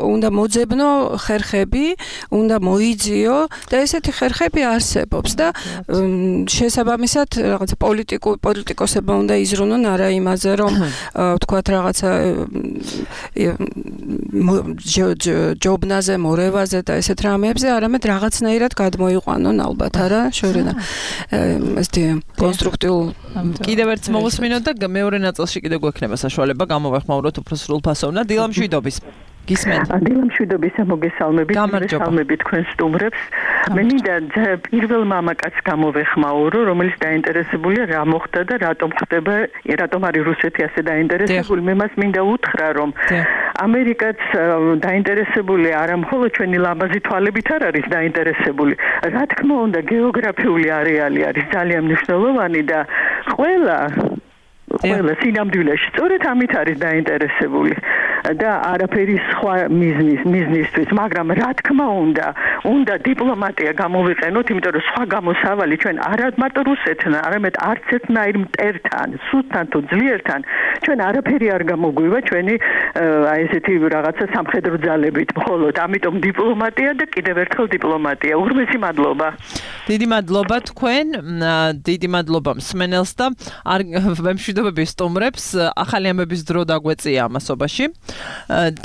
უნდა მოძებნო ხერხები, უნდა მოიძიო და ესეთი ხერხები არსებობს და შესაბამისად რაღაცა პოლიტიკოსებმა უნდა იზრუნონ არა იმაზე რომ ვთქვათ რაღაცა ჯობნაზე, მორევაზე და ესეთ რამეებზე, არამედ რაღაცნაირად გადმოიყვანონ ალბათ არა შორენა ესეთი კონსტრუქტიულ კიდევ ერთს მოусმინოთ და მეორე ნაწილში კიდევ გვექნება საშუალება გამოვეხმაუროთ უფრო სრულფასოვნად. დილამშვიდობის. გისმენთ. დილამშვიდობისა მოგესალმებით თქვენ სტუმრებს. მე მინდა პირველ მამაკაცს გამოვეხმაურო, რომელიც დაინტერესებულია რა მოხდა და რატომ ხდება, რატომ არის რუსეთი ასე დაინტერესებული. მე მას მინდა უთხრა, რომ ამერიკაც დაინტერესებული არა მხოლოდ ჩვენი ლამაზი თვალებით არ არის დაინტერესებული. რა თქმა უნდა, გეოგრაფიული არეალი არის ძალიან მნიშვნელოვანი და ყველა სინამდვილეში სწორედ ამით არის დაინტერესებული. და არაფერი სხვა მიზნისთვის, მაგრამ რა თქმა უნდა დიპლომატია გამოვიყენოთ, იმიტომ რომ სხვა გამოსავალი ჩვენ არა მარტო რუსეთთან, არამედ არც ერთნაირ მტერთან, სულთან თუ ძლიერთან ჩვენ არაფერი არ გამოგვივა ჩვენი აი ესეთი რაღაცა სამხედრო ძალებით, მხოლოდ ამიტომ დიპლომატია და კიდევ ერთხელ დიპლომატია. უღრმესი მადლობა. დიდი მადლობა თქვენ, დიდი მადლობა მსმენელს და მემშვიდობები სტუმრებს. ახალი ამბების დრო დაგვეწია ამასობაში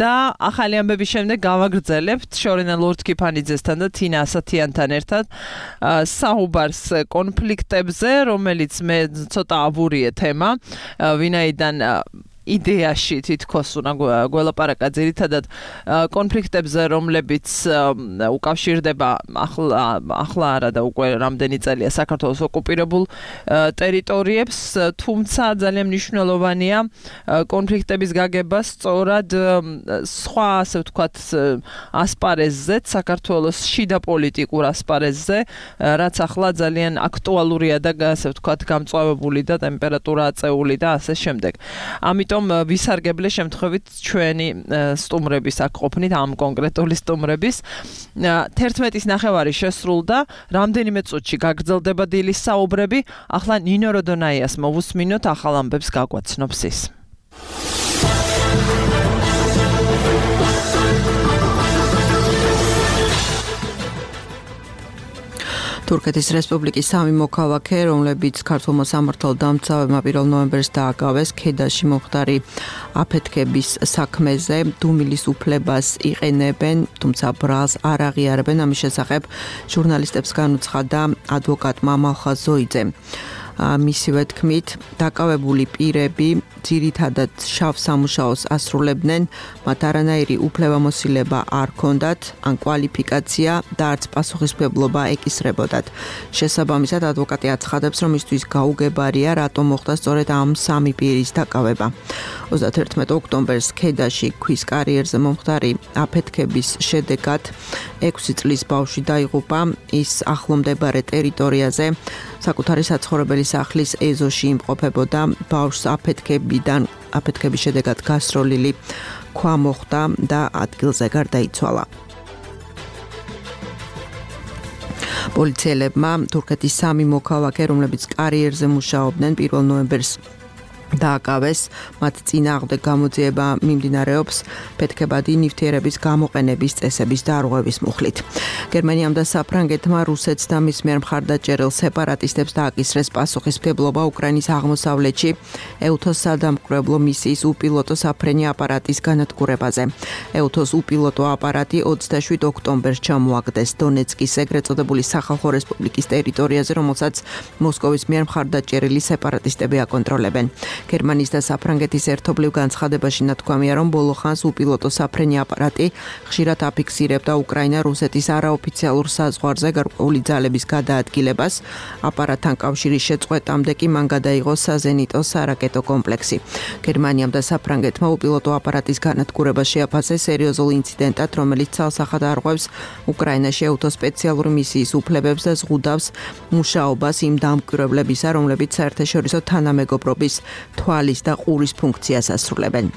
და ახალი ამბების შემდეგ გავაგრძელებთ შორენა ლორდ-კიფანიძესთან და თინა ასათიანთან ერთად საუბარს კონფლიქტებზე, რომელიც მე ცოტა აბურიე თემა, ვინაიდან იდეაში თითქოს უნდა გველაპარაკა ძირითადად კონფლიქტებზე, რომლებიც უკავშირდება ახლა არა და უკვე რამდენი წელია საქართველოს ოკუპირებულ ტერიტორიებს, თუმცა ძალიან მნიშვნელოვანია კონფლიქტების გაგება სწორად სხვა, ასე ვთქვათ, ასპარეზზეც, საქართველოს შიდა პოლიტიკურ ასპარეზზე, რაც ახლა ძალიან აქტუალურია და ასე ვთქვათ, გამწვავებული და ტემპერატურა აწეული და ასე შემდეგ. ამიტომ ვისარგებლე შემთხვევით ჩვენი სტუმრების აქ ყოფნით, ამ კონკრეტული სტუმრების 11:30 შესრულდა, რამდენიმე წუთში გაგრძელდება დილის საუბრები. ახლა ნინო როდონაიას მოვუსმინოთ, ახალ ამბებს გაგვაცნობს ის. თურქეთის რესპუბლიკის სამი მოქალაქე, რომლებიც ქართულმა სამართალ დამცავებმა 1 ნოემბერს დააკავეს ქედაში მომხდარი აფეთქების საქმეზე, დუმილის უფლებას იყენებენ, თუმცა ბრალს არ აღიარებენ. ამის შესახებ ჟურნალისტებს განუცხადა ადვოკატმა მალხაზ ზოიძემ. მისივე თქმით, დაკავებული პირები ძირითადად შავ სამუშაოს ასრულებდნენ, მათ არანაირი უფლებამოსილება არ ჰქონდათ, ან კვალიფიკაცია და არც პასუხისმგებლობა ეკისრებოდათ. შესაბამისად, ადვოკატი აცხადებს, რომ მისთვის გაუგებარია, რატომ მოხდა სწორედ ამ სამი პირის დაკავება. 31 ოქტომბერს ქედაში ქვის კარიერზე მომხდარი აფეთქების შედეგად 6 წლის ბავშვი დაიღუპა, ის ახლომდებარე ტერიტორიაზე საკუთარი საცხოვრებელი სახლის ეზოში იმყოფებოდა. ბავშვს აფეთქების შედეგად გასროლილი ქვა მოხდა და ადგილზე გარდაიცვალა. პოლიციელებმა თურქეთის სამი მოქალაქე, რომლებიც კარიერზე მუშაობდნენ, 1 ნოემბერს დააკავეს, მათ წინააღმდეგ გამოძიება მიმდინარეობს ფეთქებადი ნივთიერების გამოყენების წესების დარღვევის მუხლით. გერმანიამ და საფრანგეთმა რუსეთს და მის მიერ მხარდაჭერილ სეპარატისტებს დააკისრეს პასუხისმგებლობა უკრაინის აღმოსავლეთში ეუთოს სადამკვირვებლო მისიის უპილოტო საფრენი აპარატის განადგურებაზე. ეუთოს უპილოტო აპარატი 27 ოქტომბერს ჩამოაგდეს დონეცკის ეგრეთ წოდებული სახალხო რესპუბლიკის ტერიტორიაზე, რომელსაც მოსკოვის მიერ მხარდაჭერილი სეპარატისტები აკონტროლებენ. გერმანიის და საფრანგეთის ერთობლივ განცხადებაში ნათქვამია, რომ ბოლო ხანს უპილოტო საფრენი აპარატი ხშირად აფიქსირებდა უკრაინა-რუსეთის არაოფიციალურ საზღვარზე გარკვეული ძალების გადაადგილებას. აპარატთან კავშირის შეწყვეტამდე კი მან გადაიღო საზენიტო სარაკეტო კომპლექსი. გერმანიამ და საფრანგეთმა უპილოტო აპარატის განადგურება შეაფასეს სერიოზულ ინციდენტად, რომელიც ცალსახად არღვევს უკრაინაში ეუთოს სპეციალური მისიის უფლებებს და ზღუდავს მუშაობას იმ დამკვირვებლებისა, რომლებიც საერთაშორისო თანამეგობრობის თვალის და ყურის ფუნქციას ასრულებენ.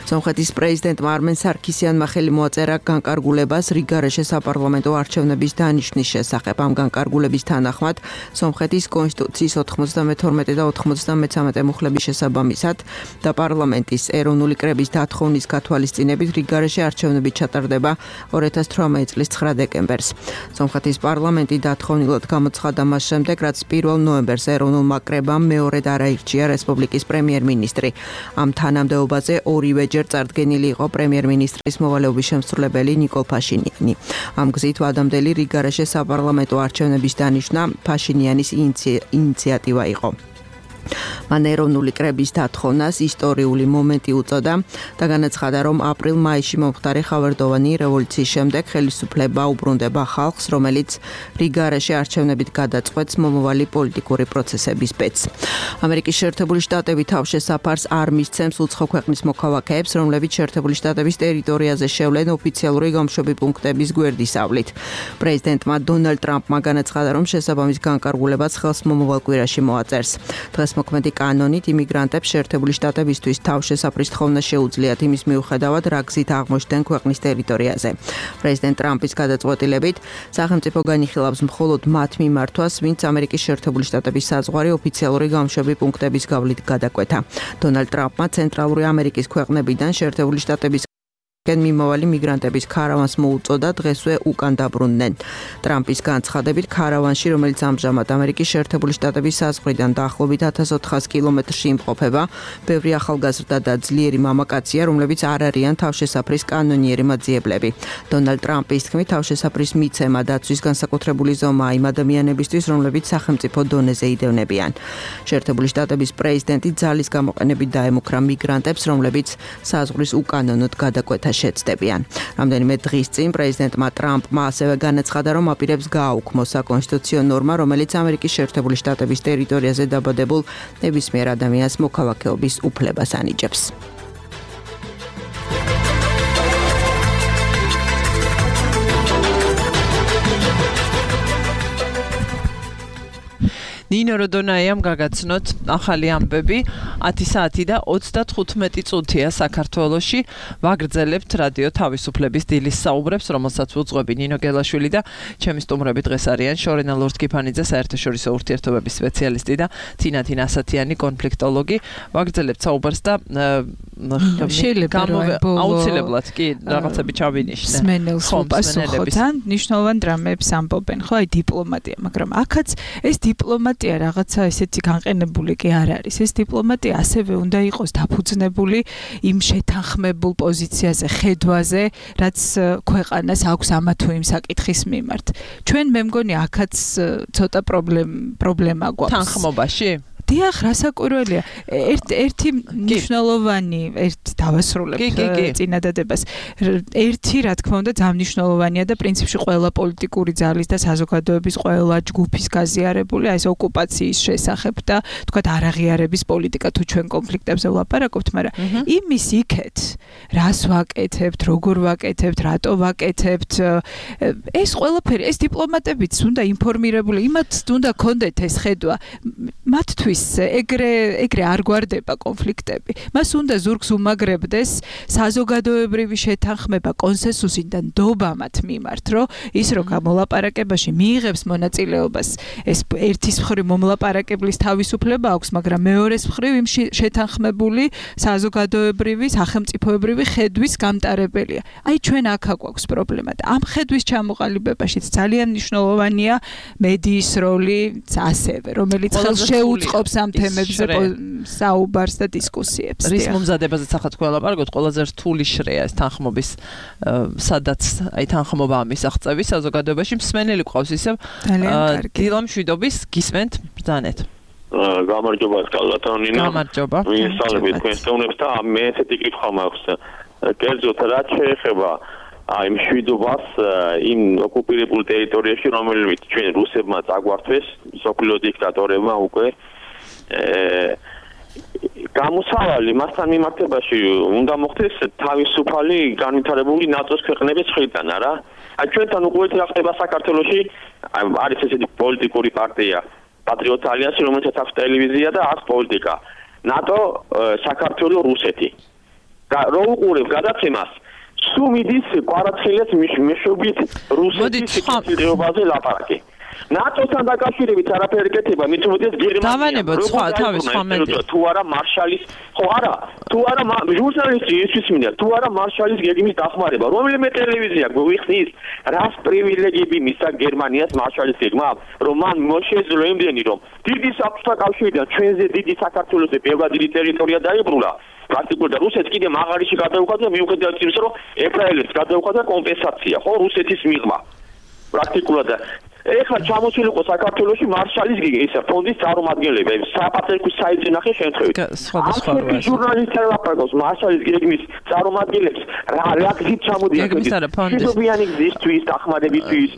სომხეთის პრეზიდენტმა არმენ სარქისიანმა ხელი მოაწერა განკარგულებას რიგარეშე საპარლამენტო არჩევნების დანიშვნის შესახებ. ამ განკარგულების თანახმად სომხეთის კონსტიტუციის 92 და 93 მუხლების შესაბამისად და პარლამენტის ეროვნული კრების დათხოვნის გათვალისწინებით რიგარეშე არჩევნები ჩატარდება 2018 წლის 9 დეკემბერს. სომხეთის პარლამენტი დათხოვნილად გამოცხადა მას შემდეგ, რაც 1 ნოემბერს ეროვნულმა კრებამ მეორედ არაირჩია რესპუბლიკის პრემიერ-მინისტრი. ამ თანამდებობაზე ორივეჯერ წარდგენილი იყო პრემიერ-მინისტრის მოვალეობის შემსრულებელი ნიკოლ ფაშინიანი. ამ გზით ვადამდელი რიგარეშე საპარლამენტო არჩევნების დანიშვნა ფაშინიანის ინიციატივა იყო. მან ეროვნული კრების დათხოვნას ისტორიული მომენტი უწოდა და განაცხადა, რომ აპრილ-მაისში მომხდარი ხავერდოვანი რევოლუციის შემდეგ ხელისუფლება უბრუნდება ხალხს, რომელიც რიგარეშე არჩევნებით გადაწყვეტს მომავალი პოლიტიკური პროცესების ბედს. ამერიკის შეერთებული შტატები თავშესაფარს არ მისცემს უცხო ქვეყნის მოქალაქეებს, რომლებიც შეერთებული შტატების ტერიტორიაზე შევლენ ოფიციალური გამშვები პუნქტების გვერდისავლით. პრეზიდენტმა დონალდ ტრამპმა განაცხადა, რომ შესაბამის განკარგულებას ხელს მომავალ კვირაში მოაწერს. დღეს მოქმედი კანონით იმიგრანტებს შეერთებული შტატებისთვის თავშესაფრის თხოვნა შეუძლიათ იმის მიუხედავად, რა გზით აღმოჩნდნენ ქვეყნის ტერიტორიაზე. პრეზიდენტ ტრამპის გადაწყვეტილებით სახელმწიფო განიხილავს მხოლოდ მათ მიმართვას, ვინც ამერიკის შეერთებული შტატების საზღვარი ოფიციალური გამშვები პუნქტების გავლით გადაკვეთა. დონალდ ტრამპმა ცენტრალური ამერიკის ქვეყნებიდან შეერთებული შტატების მიმავალი მიგრანტების ქარავანს მოუწოდა, დღესვე უკან დაბრუნდნენ. ტრამპის განცხადებით ქარავანში, რომელიც ამჟამად ამერიკის შეერთებული შტატების საზღვრიდან დაახლოებით 1400 კილომეტრში იმყოფება, ბევრი ახალგაზრდა და ძლიერი მამაკაცია, რომლებიც არ არიან თავშესაფრის კანონიერი მაძიებლები. დონალდ ტრამპის თქმით, თავშესაფრის მიცემა დაცვის განსაკუთრებული ზომაა იმ ადამიანებისთვის, რომლებიც სახელმწიფო დონეზე იდევნებიან. შეერთებული შტატების პრეზიდენტი ძალის გამოყენებით დაემუქრა მიგრანტებს, რომლებიც საზღვრის უკანონოდ გადაკვეთა შეცდებიან. რამდენიმე დღის წინ პრეზიდენტმა ტრამპმა ასევე განაცხადა, რომ აპირებს გააუქმოს საკონსტიტუციო ნორმა, რომელიც ამერიკის შეერთებული შტატების ტერიტორიაზე დაბადებულ ნებისმიერ ადამიანს მოქალაქეობის უფლებას ანიჭებს. ნინო როდონაიამ გაგაცნოთ ახალი ამბები 10 საათი და 35 წუთია საქართველოში ვაგრძელებთ რადიო თავისუფლების დილის საუბრებს, რომელსაც უძღვები ნინო გელაშვილი და ჩემი სტუმრები დღეს არიან შორენა ლორთქიფანიძე, საერთაშორისო ურთიერთობების სპეციალისტი და თინათინ ასათიანი კონფლიქტოლოგი. ვაგრძელებთ საუბარს და აუცილებლად კი რაღაცები ჩავინიშნე. სმენელს უპასუხოთ, ნიშნულოვან დრამებს ამბობენ, ხო, აი დიპლომატია, მაგრამ აქაც ეს დიპლომატია რაღაცა ესეთი განყენებული კი არ არის. ეს დიპლომატია ასევე უნდა იყოს დაფუძნებული იმ შეთანხმებულ პოზიციაზე, ხედვაზე, რაც ქვეყანას აქვს ამა თუ იმ საკითხის მიმართ. ჩვენ მე მგონი აქაც ცოტა პრობლემა გვაქვს. თანხმობაში? დიახ, რასაკვირველია. ერთი მნიშვნელოვანი, ერთი დავასრულებთ წინადადებას. ერთი, რა თქმა უნდა, ძამნიშნულოვანია და პრინციპში ყველა პოლიტიკური ძალის და საზოგადოების ყველა ჯგუფის გაზიარებული ეს ოკუპაციის შესახებ და თქვათ არაღიარების პოლიტიკა თუ ჩვენ კონფლიქტებზე ვლაპარაკობთ, მაგრამ იმის იქეთ, რას ვაკეთებთ, როგორ ვაკეთებთ, რატო ვაკეთებთ, ეს ყველაფერი, ეს დიპლომატებიც უნდა ინფორმირებული, იმათ უნდა კონდეთ ეს ხედვა, მათთვის ეგრე არ გვარდება კონფლიქტები. მას უნდა ზურგს უმაგრებდეს საზოგადოებრივი შეთანხმება კონსენსუსი და ნდობა მათ მიმართ, რომ ის რო გამოლაპარაკებაში მიიღებს მონაწილეობას, ეს ერთის მხრივ მომლაპარაკებლის თავისუფლება აქვს, მაგრამ მეორეს მხრივ იმ შეთანხმებული საზოგადოებრივი, სახელმწიფოებრივი ხედვის გამტარებელია. აი ჩვენ აქ გვაქვს პრობლემა და ამ ხედვის ჩამოყალიბებაშიც ძალიან მნიშვნელოვანია მედიის როლი ასევე, რომელიც ხელს შეუწყობს ამ თემებზე საუბარს და დისკუსიებს. რის მომზადებაზე ახლა თქვენ ლაპარაკობთ, ყველაზე რთული შრეა ეს თანხმობის, სადაც აი თანხმობა მისაღწევი საზოგადოებაში მსმენელი ყავს ისევ დილა მშვიდობის გისმენთ ბრძანეთ. გამარჯობა კალათონინა. გამარჯობა. ვისალებით თქვენ სტუმრებს და მე ესეთი კითხვა მაქვს. კერძოდ რაც შეეხება აი მშვიდობას იმ ოკუპირებულ ტერიტორიაში, რომელიც ჩვენ რუსებმა წაგვართვეს, სოფლიო დიქტატორებმა უკვე გამოსავალი მასთან მიმართებაში უნდა მოხდეს თავისუფალი განვითარებული ნატოს ქვეყნების მხრიდან, არა? აი ჩვენთან უკვე რა ხდება საქართველოში, არის ესეთი პოლიტიკური პარტია პატრიოტ ალიანსი, რომელსაც აქვს ტელევიზია და აქვს პოლიტიკა. ნატო, საქართველო, რუსეთი. რო უყურებ გადაცემას, სულ მიდის კვარაცხელიას მეშვეობით რუსეთის სიტუაციაზე ლაპარაკი. ნატოსთან დაკავშირებით არაფერი კეთება, მით უმეტეს გერმანია. დავანებოთ სხვა თავის ხომენტი. თუ არა მარშალის, ხო არა, თუ არა ჟურნალისტი ისთვის მინდა, თუ არა მარშალის გეგმის დახმარება, რომელიმე ტელევიზია გვიხსნის, რას პრივილეგიები მისცა გერმანიას მარშალის გეგმა, რომ მან მოშეძლო იმდენი, რომ დიდი საბჭოთა კავშირიდან ჩვენზე დიდი საქართველოსზე ბევრი დიდი ტერიტორია დაიბრუნა. პრაქტიკულად რუსეთს კიდე მაღარიში გადაუხადა მიუხედავად იმისა, რომ ებრაელებს გადაუხადა კომპენსაცია, ხო, რუსეთის მიღმა. პრაქტიკულად ეხლა ჩამოსულიყო საქართველოში მარშალის ისა ფონდის წარმომადგენლები, საპატრიარქოს საიტზე ნახე შემთხვევით. სხვადასხვა როა. ჟურნალისტები ლაპარაკობს მარშალის გეგმის წარმომადგენლებს, რა გზით ჩამოდიან. გეგმის არა ფონდის. შუბიანი გზისთვის, დახმარებისთვის.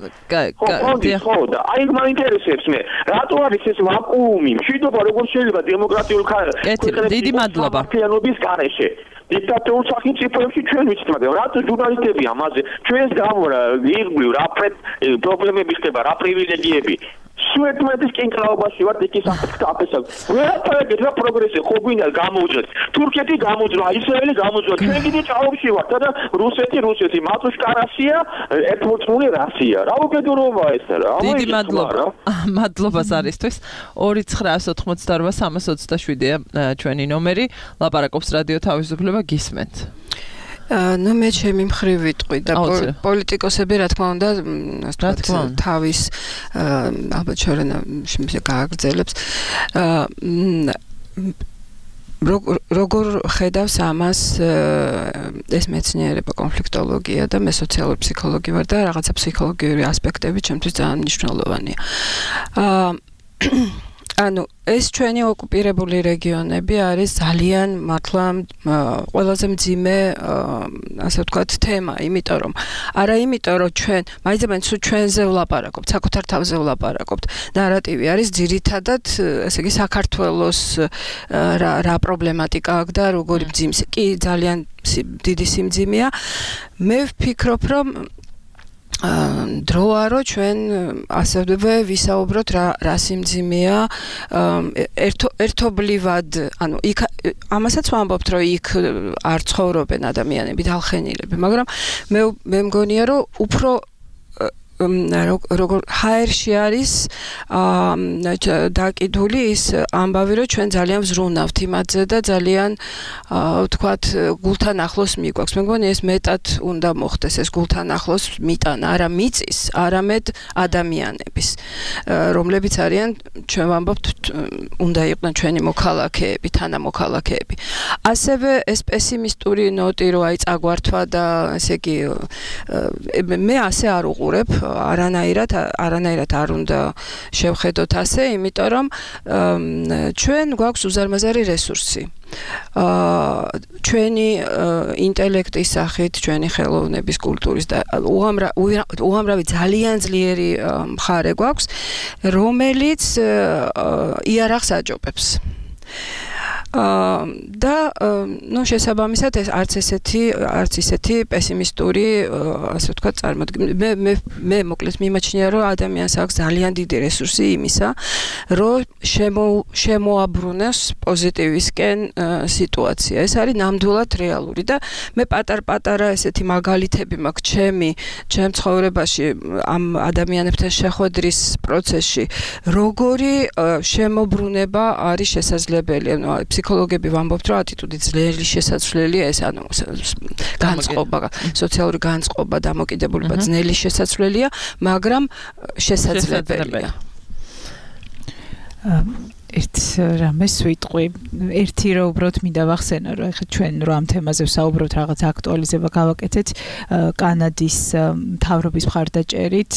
ხო, და აი მაინტერესებს მე, რატო არის ეს ვაკუუმი? მშვიდობა როგორ შეიძლება დემოკრატიულ ქვეყნებში დიდი მადლობა. ფიანობის გარეშე. დიქტატურულ სახელმწიფოებში ჩვენ ვიცით, მაგრამ რატო ჟურნალისტები ამაზე ჩვენს გამო ირგვლივ რა პრობლემები ხდება, რა პრივილეგიები სუეტმეთის კინკლაობაში ვარ იქ საფრთხე. ვერაფერი რა პროგრესი ხო გვინდა გამოუძრეთ. თურქეთი გამოუძრა, ისრაელი გამოუძრა. ჩვენ კიდე ჭაობში ვართ და რუსეთი, მატუშკა რასია, ერთმოცმული რასია. რა უკიდურობა ეს რა? დიდი მადლობა ზარისთვის. 2988327-ია ჩვენი ნომერი. ლაპარაკობს რადიო თავისუფლება გისმენთ. ნუ მე ჩემი მხრივ ვიტყვი და პოლიტიკოსები რა თქმა უნდა თავის ალბათ შორენა გააგრძელებს როგორ ხედავს ამას ეს მეცნიერება კონფლიქტოლოგია და მე სოციალური ფსიქოლოგი ვარ და რაღაცა ფსიქოლოგიური ასპექტები ჩემთვის ძალიან მნიშვნელოვანია. ანუ ეს ჩვენი ოკუპირებული რეგიონები არის ძალიან მართლა ყველაზე მძიმე ასე ვთქვათ თემა, იმიტომ რომ ჩვენ მაინც ჩვენზე ვლაპარაკობთ, საკუთარ თავზე ვლაპარაკობთ. ნარატივი არის ძირითადად, ესე იგი საქართველოს რა პრობლემატიკა აქვს და როგორი მძიმე. კი ძალიან დიდი სიმძიმეა. მე ვფიქრობ, რომ დროა რომ ჩვენ ასევე ვისაუბროთ რა სიმძიმეა ერთობლივად, ანუ იქ ამასაც ვამბობთ, რომ იქ არ ცხოვრობენ ადამიანები, დალხენილები, მაგრამ მე მგონია, რომ უფრო როგორ ჰაერში არის დაკიდული ის ამბავი, რომ ჩვენ ძალიან ვზრუნავთ იმაზე და ძალიან ვთქვათ გულთან ახლოს მიგვაქვს. მე მგონი ეს მეტად უნდა მოხდეს, ეს გულთან ახლოს მიტანა, არა მიწის, არამედ ადამიანების, რომლებიც არიან, ჩვენ ვამბობთ, უნდა იყვნენ ჩვენი მოქალაქეები, თანამოქალაქეები. ასევე ეს პესიმისტური ნოტი, რომ აი წაგვართვა და ესე იგი მე ასე არ უყურებ, არანაირად არ უნდა შევხედოთ ასე, იმიტომ რომ ჩვენ გვაქვს უზარმაზარი რესურსი. ჩვენი ინტელექტის სახით, ჩვენი ხელოვნების, კულტურის და უამრავი ძალიან ძლიერი მხარე გვაქვს, რომელიც იარაღს აჯობებს. და ნუ შესაბამისად ეს არც ისეთი პესიმისტური ასე ვთქვათ წარმოდგენა მე მოკლედ მიმაჩნია რომ ადამიანს აქვს ძალიან დიდი რესურსი იმისა რომ შემოაბრუნოს პოზიტივისკენ სიტუაცია. ეს არის ნამდვილად რეალური და მე პატარ-პატარა ესეთი მაგალითები მაქვს ჩემ ცხოვრებაში ამ ადამიანებთან შეხვედრის პროცესში როგორი შემოbrunება არის შესაძლებელი. ფსიქოლოგები ვამბობთ, რომ ატიტუდი ძლიერი შესაძლებელია ეს, ანუ განწყობა, სოციალური განწყობა, დამოკიდებულება ძნელი შესაძლებელია, მაგრამ შესაძლებელია. ერთ რამეს ვიტყვი, ერთი რომ უბრალოდ მინდა ვახსენო, რომ ეხლა ჩვენ რომ ამ თემაზე ვსაუბრობთ, რაღაც აქტუალიზება გავაკეთეთ, კანადის მთავრობის მხარდაჭერით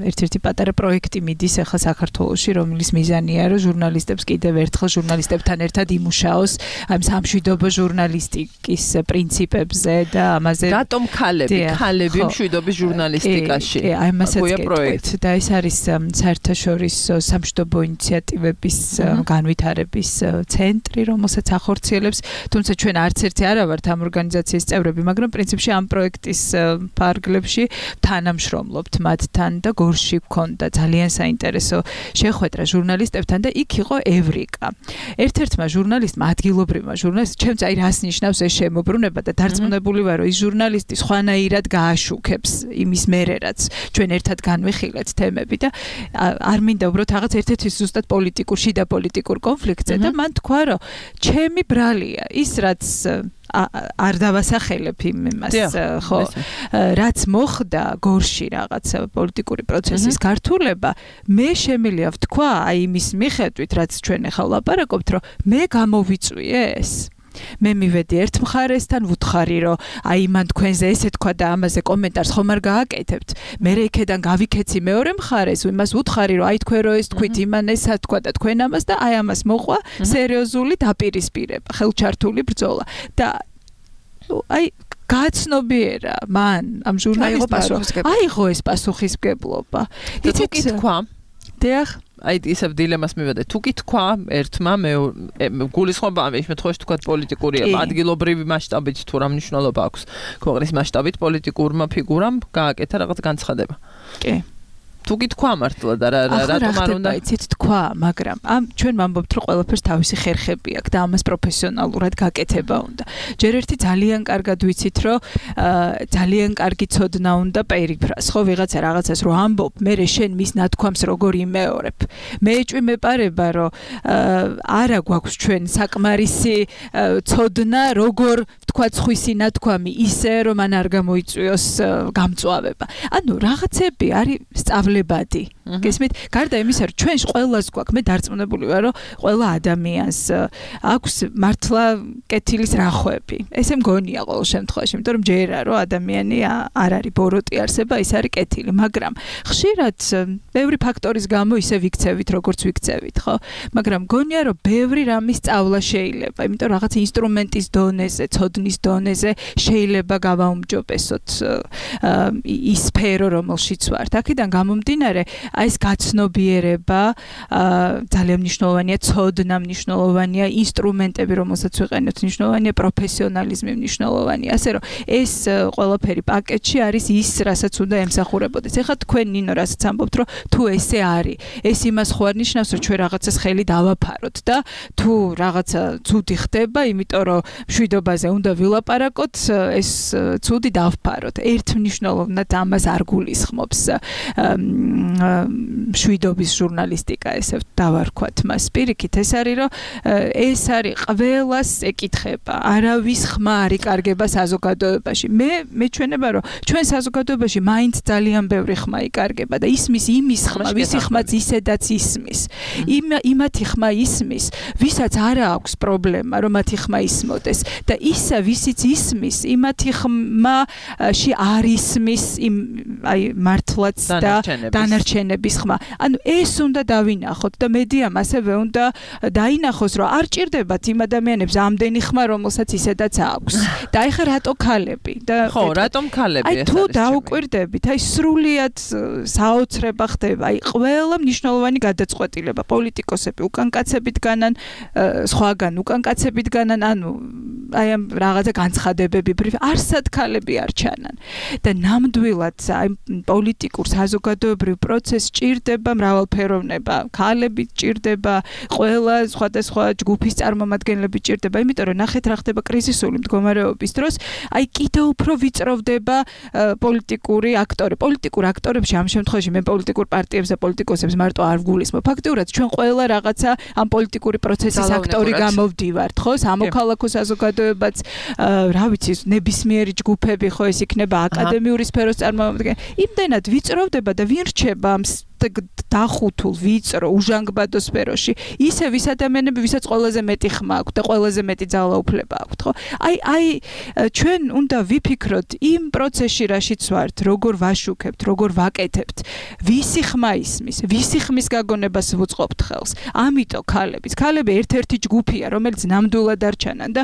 ერთ-ერთი პატარა პროექტი მიდის ეხლა საქართველოში, რომლის მიზანია, რომ ჟურნალისტებს კიდევ ერთხელ ჟურნალისტებთან ერთად იმუშაოს ამ სამშვიდობო ჟურნალისტიკის პრინციპებზე და ამაზე. რატომ ქალები მშვიდობის ჟურნალისტიკაში? აი ამასაც გეტყვით და ეს არის საერთაშორისო სამშვიდობო ინიციატივების განვითარების ცენტრი, რომელსაც ახორციელებს, თუმცა ჩვენ არც ერთი არა ვართ ამ ორგანიზაციის წევრები, მაგრამ პრინციპში ამ პროექტის ფარგლებში თანამშრომლობთ მათთან და გორში გვქონდა ძალიან საინტერესო შეხვედრა ჟურნალისტებთან და იქ იყო ევრიკა. ერთ-ერთმა ჟურნალისტმა, ადგილობრივმა ჟურნალისტმა, ჩემს აი რას ნიშნავს ეს შემოbrunება და დარწმუნებული ვარ, რომ ის ჟურნალისტი სხვანაირად გააშუქებს იმის მერე, რაც ჩვენ ერთად განვიხილეთ თემები და არ მინდა უბრალოდ რაღაც ერთ-ერთი ზუსტად პოლიტიკურში და პოლიტიკურ კონფლიქტზე და მან თქვა, რომ ჩემი ბრალია ის რაც არ დავასახელებ იმას, ხო, რაც მოხდა გორში რაღაც პოლიტიკური პროცესის გართულება, მე შემიძლია ვთქვა, აი იმის მიხედვით, რაც ჩვენ ახლა ვლაპარაკობთ, რომ მე გამოვიწვიე ეს. მე მივედი ერთ მხარესთან, ვუთხარი, რომ აი მან თქვენზე ესე თქვა და ამაზე კომენტარს ხომ არ გააკეთებთ. მე იქედან გავიქეცი მეორე მხარეს, იმას ვუთხარი, რომ აი თქვენ რო ეს თქვით, იმან ესა თქვა და თქვენ ამას და აი ამას მოყვა სერიოზული დაპირისპირება, ხელჩართული ბრძოლა. და აი გაცნობიერა მან ამ ჟურნალისტმა აიღო ეს პასუხისმგებლობა. იცით თქვა? დიახ. აი ისევ დილემას მივედე. თუ კი თქვა ერთმა გულისხმობა ამ შემთხვევაში თქვა პოლიტიკური ადგილობრივი მასშტაბით თუ რა მნიშვნელობა აქვს ქვეყნის მასშტაბით პოლიტიკურმა ფიგურამ გააკეთა რაღაც განცხადება. კი. თუ გითქვა მართლა და რატომ არ უნდა იცით თქვა, მაგრამ ამ ჩვენ ვამბობთ რომ ყველაფერს თავისი ხერხები აქვს და ამას პროფესიონალურად გაკეთება უნდა. ჯერ ერთი ძალიან კარგად ვიცით რომ ძალიან კარგი ცოდნა უნდა პერიფრას, ხო ვიღაცა რაღაცას რო ამბობ, მე შენ მის ნათქვამს როგორ იმეორებ. მე ეჭვმეპარება რომ არა გვაქვს ჩვენ საკმარისი ცოდნა როგორ თქვა ხვისი ნათქვამი ისე რომ მან არ გამოიწვიოს გამწვავება. ანუ რაღაცები არის სწავლებადი. გესმით? გარდა იმისა, რომ ჩვენს ყველას გვაქვს, მე დარწმუნებული ვარ, რომ ყველა ადამიანს აქვს მართლა კეთილის რახვები. ესე მგონია ყოველ შემთხვევაში, იმიტომ რომ ჯერა რომ ადამიანი არ არის ბოროტი არსება, ის არის კეთილი, მაგრამ ხშირად ბევრი ფაქტორის გამო ისე ვიქცევით, როგორც ვიქცევით, ხო? მაგრამ მგონია, რომ ბევრი რამის სწავლა შეიძლება, იმიტომ რომ რაღაც ინსტრუმენტის დონეზე, ცოდნის დონეზე შეიძლება გავაუმჯობესოთ ის სფერო, რომელშიც ვართ. აქედან გამომდინარე, აი ეს გაცნობიერება ძალიან მნიშვნელოვანია, ცოდნა მნიშვნელოვანია, ინსტრუმენტები, რომელსაც ვიყენებთ, მნიშვნელოვანია, პროფესიონალიზმი მნიშვნელოვანია. ასე რომ ეს ყველაფერი პაკეტში არის ის, რასაც უნდა ემსახურებოდეს. ეხლა თქვენ ნინო რასაც ამბობთ, რომ თუ ესე არის, ეს იმას ხო არ ნიშნავს, რომ ჩვენ რაღაცას ხელი დავაფაროთ და თუ რაღაცა ცუდი ხდება, იმიტომ რომ მშვიდობაზე უნდა ვილაპარაკოთ, ეს ცუდი დავფაროთ. ერთმნიშვნელოვნად ამას არ გულისხმობს მშვიდობის ჟურნალისტიკა, ესე დავარქვათ მას. პირიქით, ეს არის რომ ეს არის ყველას ეკითხება. არავის ხმა არ იკარგება საზოგადოებაში. მე მეჩვენება, რომ ჩვენ საზოგადოებაში მაინც ძალიან ბევრი ხმა იკარგება და ისმის იმის ხმა, ვისი ხმაც ისედაც ისმის. იმათი ხმა ისმის, ვისაც არა აქვს პრობლემა, რომ მათი ხმა ისმოდეს და ისა ვისიც ისმის, იმათი ხმაში არ ისმის აი მართლაც და დანარჩენების ხმა. ანუ ეს უნდა დავინახოთ და მედიამ ასევე უნდა დაინახოს, რომ არ ჭირდებათ იმ ადამიანებს ამდენი ხმა, რომელსაც ისედაც აქვს. და ეხლა რატო ქალები? ხო, რატომ ქალები? აი თუ დაუკვირდებით, აი სრულიად საოცრება ხდება. აი ყველა მნიშვნელოვანი გადაწყვეტილება, პოლიტიკოსები უკან კაცებით განან, სხვაგან უკან კაცებით განან, ანუ აი ამ რაღაცა განცხადებები, არსად ქალები არ ჩანან. და ნამდვილად აი პოლიტიკურ საზოგადოებრივ პროცესს ჭირდება მრავალფეროვნება, ქალები ჭირდება, ყველა სხვადასხვა ჯგუფის წარმომადგენლები ჭირდება, იმიტომ რომ ნახეთ რა ხდება კრიზისული მდგომარეობის დროს, აი კიდევ უფრო ვიწროვდება პოლიტიკური აქტორი. პოლიტიკურ აქტორებში ამ შემთხვევაში მე პოლიტიკურ პარტიებს და პოლიტიკოსებს მარტო არ ვგულისხმობ. ფაქტიურად ჩვენ ყველა რაღაცა ამ პოლიტიკური პროცესის აქტორი გამოვდივართ, ხო? სამოქალაქო საზოგადოებაც, რა ვიცი, ნებისმიერი ჯგუფები, ხო, ეს იქნება აკადემიური სფეროს წარმომადგენელი. იმდენად ვიწროვდება და ვინ რჩება ამ დახუთულ ვიწრო უჟანგბადო სფეროში ისე ვის ადამიანები, ვისაც ყველაზე მეტი ხმა აქვს და ყველაზე მეტი ძალაუფლება აქვს, ხო? აი ჩვენ უნდა ვიფიქროთ იმ პროცესში, რაშიც ვართ, როგორ ვაშუქებთ, როგორ ვაკეთებთ, ვისი ხმა ისმის, ვისი ხმის გაგონებას ვუწყობთ ხელს. ამიტომ ქალები ერთ-ერთი ჯგუფია, რომელიც ნამდვილად არ ჩანან და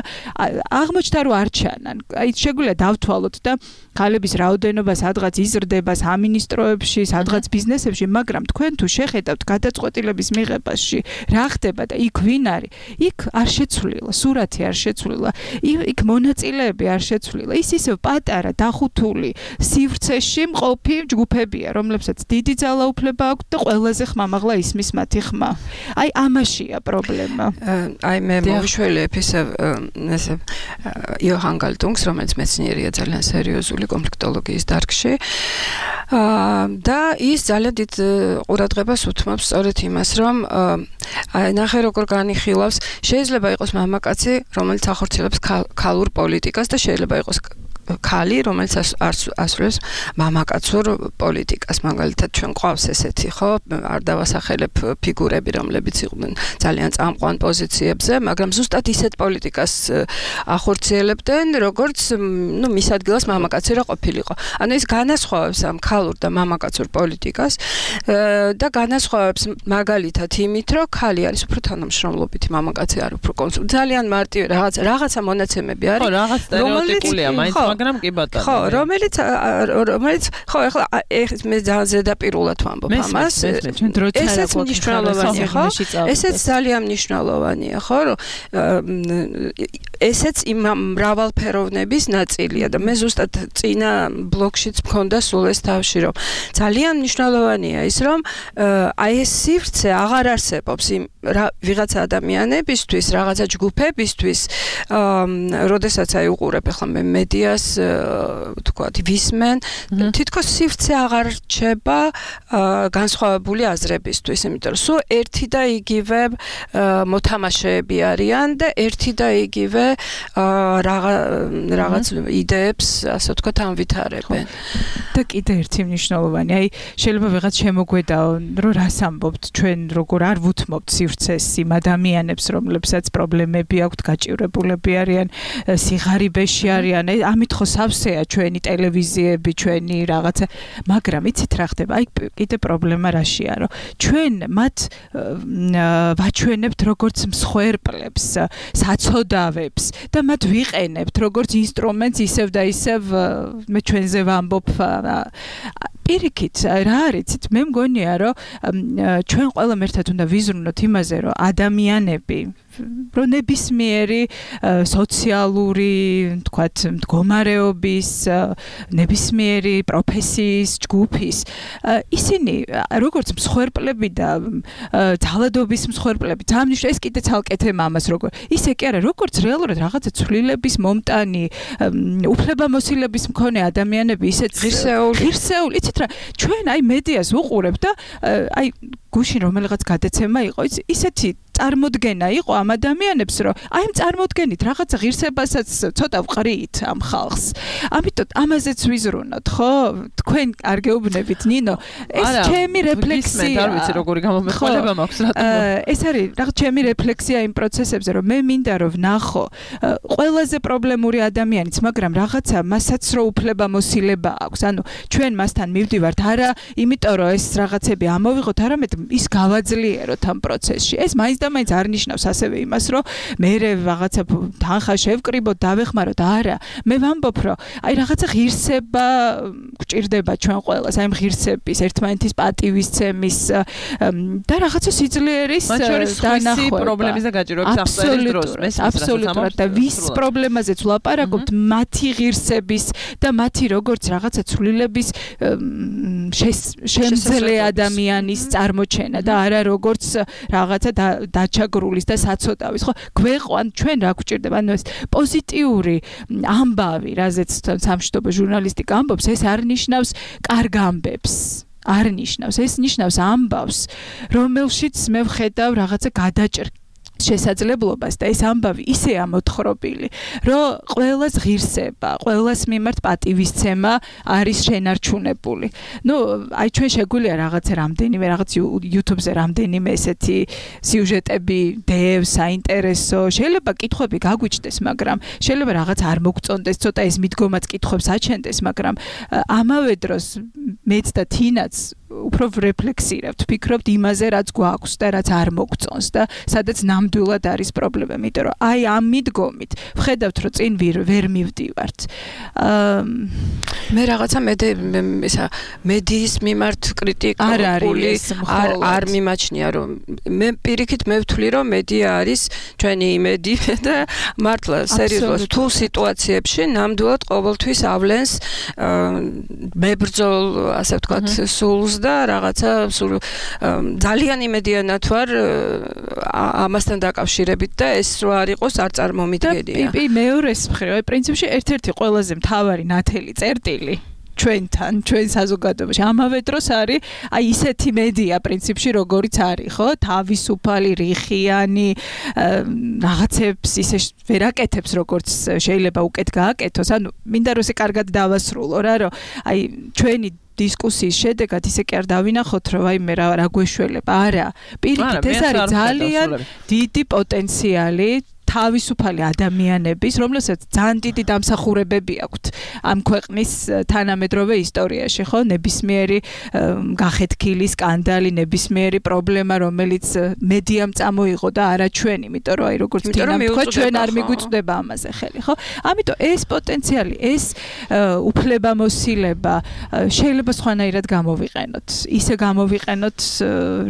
აღმოჩნდა, რომ არ ჩანან. აი შეგვიძლია დავთვალოთ და ქალების რაოდენობა სადღაც იზრდება სამინისტროებში, სადღაც ბიზნესებში, მაგრამ თქვენ თუ შეხედავთ გადაწყვეტილების მიღებაში, რა ხდება და იქ ვინ არის, იქ არ შეცვლილა, სურათი არ შეცვლილა, იქ მონაწილეები არ შეცვლილა. ის ისევ პატარა, დახუთული, სივრცეში მყოფი ჯგუფებია, რომლებსაც დიდი ძალაუფლება აქვს და ყველაზე ხმამაღლა ისმის მათი ხმა. აი ამაშია პრობლემა. აი მე მოვიშველებ ესე იოჰან გალტუნგს, რომელიც მეცნიერია ძალიან სერიოზული კონფლიქტოლოგიის დარგში. და ის ძალიან დიდ ყურადღებას უთმობს სწორედ იმას, რომ ნახე როგორ განიხილავს, შეიძლება იყოს მამაკაცი, რომელიც ახორციელებს ქალურ პოლიტიკას და შეიძლება იყოს ქალი, რომელიც ასრულებს მამაკაცურ პოლიტიკას. მაგალითად, ჩვენ ყავს ესეთი, ხო, არ დავასახელებ ფიგურები, რომლებიც იყვნენ ძალიან წამყვან პოზიციებზე, მაგრამ ზუსტად ისეთ პოლიტიკას ახორციელებდნენ, როგორც, მის ადგილას მამაკაცი რა ყოფილიყო. ანუ ეს განასხვავებს ამ ქალურ და მამაკაცურ პოლიტიკას და განასხვავებს მაგალითად იმით, რომ ქალი არის უფრო თანამშრომლობითი, მამაკაცი არის უფრო კონსულტანტი. ძალიან მარტივი რაღაცა მონაცემები არის, ხო, რაღაც სტერეოტიპულია, მაინც მაგრამ კი ბატონო. ხო, რომელიც ხო, ეხლა მე ძალიან ზედაპირულად ვამბობ ამას. ესეც მნიშვნელოვანია, ხო? ესეც ძალიან მნიშვნელოვანია, ხო, რომ ესეც იმ მრავალფეროვნების ნაწილია და მე ზუსტად წინა ბლოგშიც მქონდა სულ ეს თავში, რომ ძალიან მნიშვნელოვანია ის, რომ აი ეს სივრცე აღარ არსებობს იმ ვიღაცა ადამიანებისთვის, რაღაცა ჯგუფებისთვის, როდესაც აი უყურებ ახლა მე მედიას, თქვათ, ვისმენ, თითქოს სივრცე აღარ რჩება განსხვავებული აზრებისთვის, იმიტომ რომ სულ ერთი და იგივე მოთამაშეები არიან და ერთი და იგივე რაღაც იდეებს, ასე ვთქვათ, ამვითარებენ. და კიდე ერთი მნიშვნელოვანი, აი შეიძლება ვიღაც შემოგვედაო, რომ რას ამბობთ ჩვენ, როგორ არ ვუთმობთ სივრცეს იმ ადამიანებს, რომლებსაც პრობლემები აქვთ, გაჭირებულები არიან, სიღარიბეში არიან, ამით ხო სავსეა ჩვენი ტელევიზიები, ჩვენი რაღაცა, მაგრამ იცით რა ხდება? აი კიდე პრობლემა რაშია, რომ ჩვენ მათ ვაჩვენებთ როგორც მსხვერპლებს, საცოდავებს და მათ ვიყენებთ როგორც ინსტრუმენტს ისევ და ისევ მე ჩვენზე ვამბობ პირიქით რა არიცით მე მგონია რომ ჩვენ ყველამ ერთად უნდა ვიზრუნოთ იმაზე რომ ადამიანები რომ ნებისმიერი სოციალური თქვათ მდგომარეობის ნებისმიერი პროფესიის ჯგუფის ისინი როგორც მსხვერპლები და ძალადობის მსხვერპლები თამნიშ ეს კიდე ცალკე თემა ამას როგორ ისე კი არა როგორც რეალურად რაღაცა ცვლილების მომტანი უფლებამოსილების მქონე ადამიანები ისეთ ღირსეული იცით რა ჩვენ აი მედიას ვუყურებთ და აი გუშინ რომელიღაც გადაცემა იყო ისეთი წარმოდგენა იყო ამ ადამიანებს რომ აი ამ წარმოდგენით რაღაცა ღირსებასაც ცოტა ვყრით ამ ხალხს ამიტომ ამაზეც ვიზრუნოთ ხო თქვენ არ გეუბნებით ნინო ეს ჩემი რეფლექსია არ ვიცი როგორი გამომეხმარება მაქვს რატომ ეს არის რაღაც ჩემი რეფლექსია იმ პროცესებზე რომ მე მინდა რომ ვნახო ყველაზე პრობლემური ადამიანიც მაგრამ რაღაცა მასაც რო უფლებამოსილება აქვს ანუ ჩვენ მასთან მივდივართ არა იმიტომ რომ ეს რაღაცები ამოვიღოთ არამედ ის გავაძლიეროთ ამ პროცესში ეს მაინც და მაინც არ ნიშნავს ასევე იმას რომ მე რაღაცა თანხა შევკრიბოთ დავეხმაროთ არა მე ვამბობ რომ აი რაღაცა ღირსება გჭირდება ჩვენ ყველას აი ღირსების ერთმანეთის პატივისცემის და რაღაცა სიძლიერის დანახვა პრობლემის და გაჭირვების აღწერის დროს აბსოლუტურად და ვის პრობლემაზეც ვლაპარაკობთ მათი ღირსების და მათი როგორც რაღაცა ცვლილების შემძლე ადამიანის წარმოჩენა და არა როგორც რაღაცა დაჩაგრულის და საცოდავის ხო გვეყვან ჩვენ რა გვჭირდება ანუ ეს პოზიტიური ამბავი რაზეც სამშვიდობო ჟურნალისტიკა ამბობს ეს არ ნიშნავს კარგ ამბებს არ ნიშნავს ეს ნიშნავს ამბავს რომელშიც მე ვხედავ რაღაცა გადაჭრ შესაძლებლობას და ეს ამბავი ისეა მოთხრობილი, რომ ყველას ღირსება, ყველას მიმართ პატივისცემა არის შენარჩუნებული. ნუ აი ჩვენ შეგვიძლია რაღაცა რამდენიმე რაღაც YouTube-ზე რამდენიმე ესეთი სიუჟეტები დევ, საინტერესო, შეიძლება კითხვები გაგვიჩნდეს, მაგრამ შეიძლება რაღაც არ მოგწონდეს, ცოტა ეს მიდგომაც კითხვებს აჩენდეს, მაგრამ ამავე დროს მეც და თინაც უფრო რეფლექსირებთ, ფიქრობთ იმაზე, რაც გვაქვს და რაც არ მოგწონს და სადაც ნამდვილად არის პრობლემა, იმიტომ რომ აი ამ მიდგომით ვხედავთ, რომ წინ ვერ მივდივართ. მე რაღაცა მედიის მიმართ კრიტიკა არ მიმაჩნია, რომ მე პირიქით მე ვთვლი, რომ მედია არის ჩვენი იმედი და მართლა სერიოზულად თუ სიტუაციებში ნამდვილად ყოველთვის ავლენს მებრძოლ, ასე ვთქვათ, სულს და რაღაცა ძალიან იმედიანად ვარ ამასთან დაკავშირებით და ეს რო არ იყოს არ წარმომიდგენია. მეორეს მხრივ, პრინციპში ერთ-ერთი ყველაზე მთავარი ნათელი წერტილი ჩვენთან, ჩვენ საზოგადოებაში. ამავე დროს არის აი ისეთი მედია პრინციპში როგორიც არის, ხო? თავისუფალი, რიხიანი, რაღაცებს ისე ვერ აკეთებს როგორც შეიძლება უკეთ გააკეთოს. ანუ მინდა რომ ესე კარგად დავასრულო რა, რომ აი ჩვენი დისკუსიის შედეგად ისე კი არ დავინახოთ, რომ აი მე რა გვეშველება. არა, პირიქით ეს არის ძალიან დიდი პოტენციალი თავისუფალი ადამიანების, რომლებსაც ძალიან დიდი დამსახურებები აქვთ ამ ქვეყნის თანამედროვე ისტორიაში, ხო? ნებისმიერი გახეთქილი სკანდალი, ნებისმიერი პრობლემა, რომელიც მედიამ წამოიღო და არა ჩვენ, იმიტომ რომ აი როგორც თინა თქვა, ჩვენ არ მიგვიწვდება ამაზე ხელი, ხო? ამიტომ ეს პოტენციალი, ეს უფლებამოსილება შეიძლება სხვანაირად გამოვიყენოთ. ისე გამოვიყენოთ,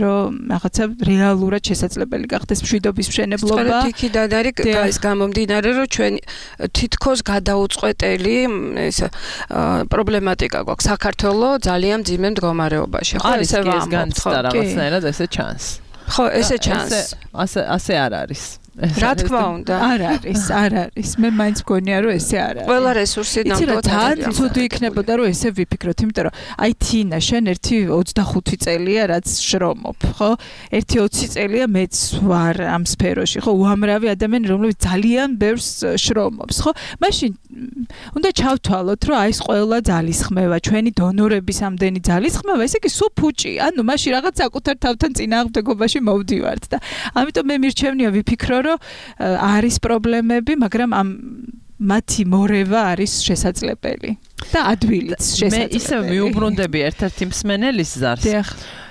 რომ რაღაცა რეალურად შესაძლებელი გახდეს მშვიდობის მშენებლობა. იქიდან არის გამომდინარე, რომ ჩვენ თითქოს გადაუწყვეტელი ეს პრობლემატიკა გვაქვს საქართველოს ძალიან მძიმე მდგომარეობაში. ხო, ესე ვამბობთ რაღაცნაირად ესე ჩანს. ხო, ესე ჩანს. ასე არ არის. რა თქმა უნდა. არ არის. მე მაინც მგონია რომ ესე არ არის. ყველა რესურსი ნამდვილად ძალიან ცუდი იქნებოდა რომ ესე ვიფიქროთ, იმიტომ რომ აი თინა შენ ერთი 25 წელია რაც შრომობ, ხო? ერთი 20 წელია მეც ვარ ამ სფეროში, ხო? უამრავი ადამიანი რომლებიც ძალიან ბევრს შრომობს, ხო? მაშინ უნდა ჩავთვალოთ რომ აი ეს ყველა ძალისხმევა, ჩვენი დონორების ამდენი ძალისხმევა, ესე იგი სულ ფუჭია. ანუ მაშინ რაღაც საკუთარ თავთან წინააღმდეგობაში მოვდივართ და ამიტომ მე მირჩევნია ვიფიქრო რომ არის პრობლემები, მაგრამ ამ მათი მორევა არის შესაძლებელი და ადვილიც შესაძლებელი. მე ისე მიუბრუნდები ერთ-ერთი მსმენელის ზარს.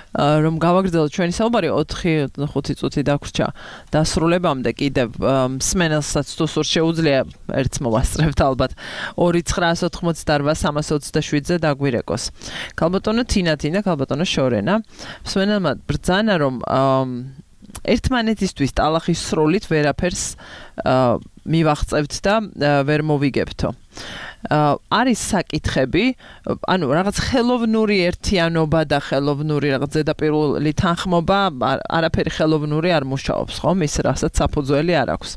რომ გავაგრძელოთ ჩვენი საუბარი 4-5 წუთი დაგვრჩა დასრულებამდე კიდევ მსმენელსაც თუ სურს შეუძლია ერთს მოვასწრებთ ალბათ 2-988-327-ზე დაგვირეკოს. ქალბატონო თინა, ქალბატონო შორენა, მსმენელმა ბრძანა რომ ერთმანეთისთვის ტალახის სროლით ვერაფერს მივაღწევთ და ვერ მოვიგებთო. არის საკითხები, ანუ რაღაც ხელოვნური ერთიანობა და ხელოვნური რაღაც ზედაპირული თანხმობა, არაფერი ხელოვნური არ მუშაობს, ხო? მის რასაც საფუძველი არ აქვს.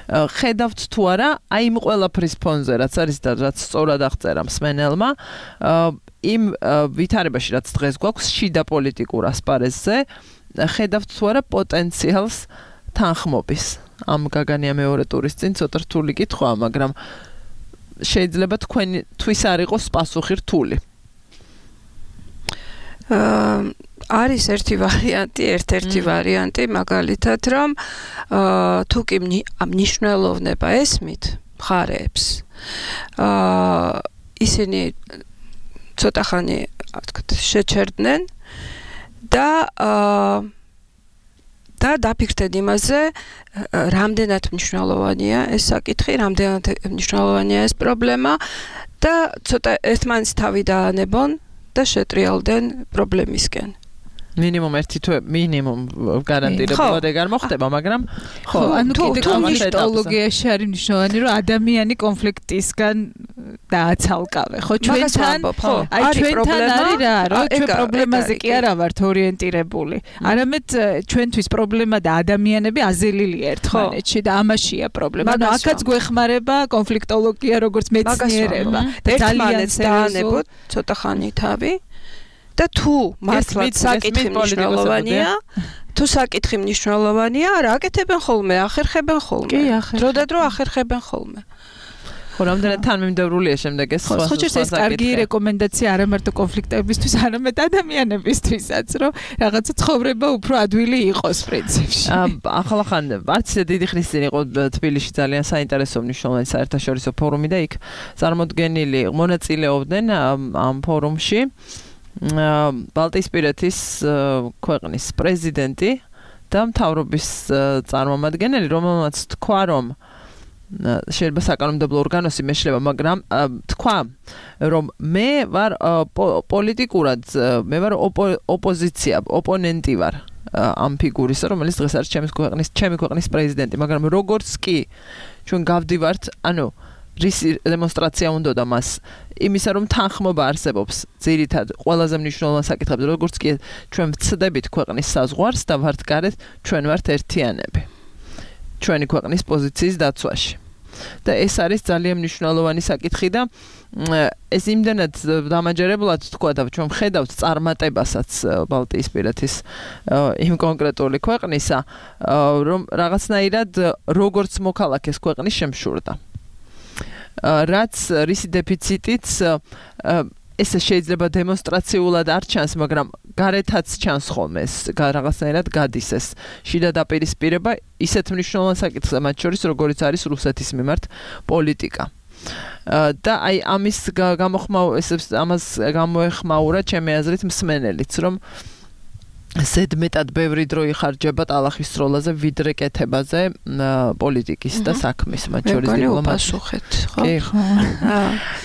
ხედავთ თუ არა, აი იმ ყველაფრის ფონზე, რაც არის და რაც სწორად აღწერა მსმენელმა, იმ ვითარებაში, რაც დღეს გვაქვს შიდა პოლიტიკურ ასპარეზზე, ხედავთ თუ არა პოტენციალს თანხმობის. ამ გაგანია მეორე ტურის წინ ცოტა რთული კითხვაა, მაგრამ შეიძლება თქვენთვის არ იყოს პასუხი რთული. არის ერთი ვარიანტი, მაგალითად, რომ თუ კი ამ ნიშნულოვნება ესმით მხარეებს, ისინი ცოტა ხანი, შეჩერდნენ და დაფიქრდნენ იმაზე, რამდენად მნიშვნელოვანია ეს საკითხი, რამდენად მნიშვნელოვანია ეს პრობლემა და ცოტა ერთმანეთს თავი დაანებონ და შეტრიალდნენ პრობლემისკენ. მინიმუმ ერთი თვე მინიმუმ გარანტირებულად ეგ არ მოხდება, მაგრამ ხო, ანუ კიდე კონფლიქტოლოგიაში არის მნიშვნელოვანი, რომ ადამიანი კონფლიქტისგან დააცალკავე, ხო? ჩვენთან აი ჩვენთან არის რა, რომ ჩვენ პრობლემაზე კი არა ვართ ორიენტირებული. არამედ ჩვენთვის პრობლემა და ადამიანები აზელილია ერთმანეთში და ამაშია პრობლემა. ანუ აქაც გვეხმარება კონფლიქტოლოგია როგორც მეცნიერება და ძალიან დაანებოთ ცოტა ხანი თავი. და თუ მართლაც საკითხი მნიშვნელოვანია, რა აკეთებენ ხოლმე, ახერხებენ ხოლმე. დრო და დრო ახერხებენ ხოლმე. ხო, რამდენად თანმიმდევრულია შემდეგ ეს სხვა სხვა ეს კარგი რეკომენდაცია არა მარტო კონფლიქტებისთვის, არამედ ადამიანებისთვისაც, რომ რაღაცა ცხოვრება უფრო ადვილი იყოს პრინციპში. ახალახან არც დიდი ხნის წინ იყო თბილისში ძალიან საინტერესო მნიშვნელოვანი საერთაშორისო ფორუმი და იქ წარმოდგენილი მონაწილეობდნენ ამ ფორუმში ბალტიისპირეთის ქვეყნის პრეზიდენტი და მთავრობის წარმომადგენელი, რომელმაც თქვა, რომ შეიძლება საკანონმდებლო ორგანოსი მეშლება, მაგრამ თქვა, რომ მე ვარ პოლიტიკურად, მე ვარ ოპოზიცია, ოპონენტი ვარ ამ ფიგურისა, რომელიც დღეს არის ჩემი ქვეყნის პრეზიდენტი, მაგრამ როგორც კი ჩვენ გავდივართ, ანუ რისი დემონსტრაცია უნდოდა მას იმისა, რომ თანხმობა არსებობს ძირითად ყველაზე მნიშვნელოვან საკითხებზე, როგორც კი ჩვენ ვცდებით ქვეყნის საზღვარს და ვართ გარეთ, ჩვენ ვართ ერთიანები ჩვენი ქვეყნის პოზიციის დაცვაში. და ეს არის ძალიან მნიშვნელოვანი საკითხი და ეს იმდენად დამაჯერებლად თქვა და ჩვენ ხედავთ წარმატებასაც ბალტიისპირეთის იმ კონკრეტული ქვეყნისა, რომ რაღაცნაირად როგორც მოქალაქეს ქვეყნის შემშურდა. რაც რისი დეფიციტიც ესე შეიძლება დემონსტრაციულად არ ჩანს, მაგრამ გარეთაც ჩანს ხოლმე ეს რაღაცნაირად გადის ეს შიდა დაპირისპირება ისეთ მნიშვნელოვან საკითხზე, მათ შორის როგორიც არის რუსეთის მიმართ პოლიტიკა. და აი ამას გამოეხმაურა ჩემი აზრით მსმენელიც, რომ ზედმეტად ბევრი დრო იხარჯება ტალახის სროლაზე ვიდრე კეთებაზე პოლიტიკის და საქმის მათ შორის დიპლომატიით. ხო?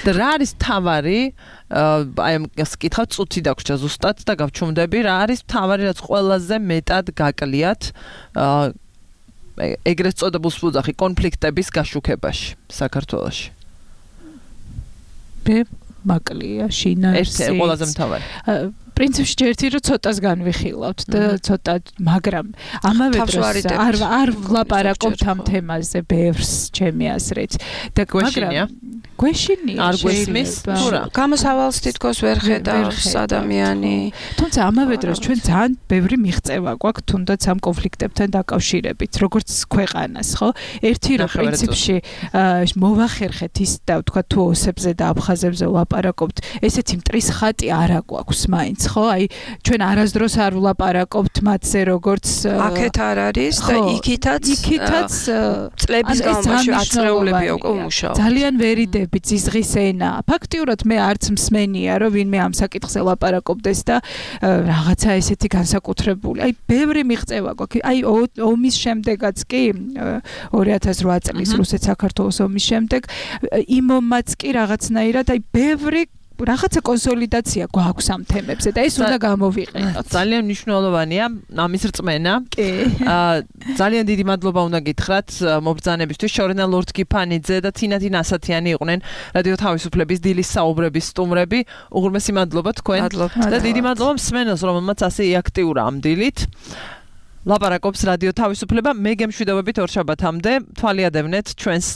და რა არის თავარი? აი ამას კითხავ წუთი დაგვრჩა ზუსტად და გავჩუმდები რა არის თავარი რაც ყველაზე მეტად გაკლიათ ეგრეთ წოდებულ სუძახი კონფლიქტების გაშუქებაში საქართველოში. მაკლია შინაარსი. ეს ყველაზე მთავარი. პრინციპში ერთი რომ ცოტას განვიხილავთ და ცოტა, მაგრამ ამავე დროს არ ვლაპარაკობთ ამ თემაზე ბევრს ჩემი აზრით. და გვეშინია არ გვესმის თურა გამოსავალს თითქოს ვერ ხედავს ადამიანი. თუმცა ამავე დროს ჩვენ ძალიან ბევრი მიღწევა გვაქვს თუნდაც ამ კონფლიქტებთან დაკავშირებით, როგორც ქვეყანას, ხო? ერთი რომ პრინციპში მოვახერხეთ ის და ვთქვა თუ ოსებზე და აფხაზებზე ვლაპარაკობთ, ესეთი მტრის ხატი არა გვაქვს მაინც, ხო? აი ჩვენ არასდროს არ ვლაპარაკობთ მათზე როგორც აქეთ არ არის და იქითაც წლების განმავლობაში აწეულებია უკვე მუშაობ. ძალიან ვერიდები ძიზღის ენა. ფაქტიურად მე არც მსმენია რომ ვინმე ამ საკითხზე ლაპარაკობდეს და რაღაცა ესეთი განსაკუთრებული. აი ბევრი მიღწევა გვაქვს. აი ომის შემდეგაც კი 2008 წლის რუსეთ-საქართველოს ომის შემდეგ იმ ომმაც კი რაღაცნაირად აი ბევრი რაღაცა კონსოლიდაცია გვაქვს ამ თემებზე და ეს უნდა გამოვიყენოთ. ძალიან მნიშვნელოვანია ამის რწმენა. კი. ძალიან დიდი მადლობა უნდა გითხრათ მობრძანებისთვის. შორენა ლორდ გიფანიძე და თინათი ნასათიანი იყვნენ რადიო თავისუფლების დილის საუბრების სტუმრები. უღრმესი მადლობა თქვენ. და დიდი მადლობა მსმენელს, რომელმაც ასე აქტიურა ამ დილით. ლაპარაკობს რადიო თავისუფლება. მე გემშვიდობებით ორშაბათამდე თვალიადევნეთ ჩვენს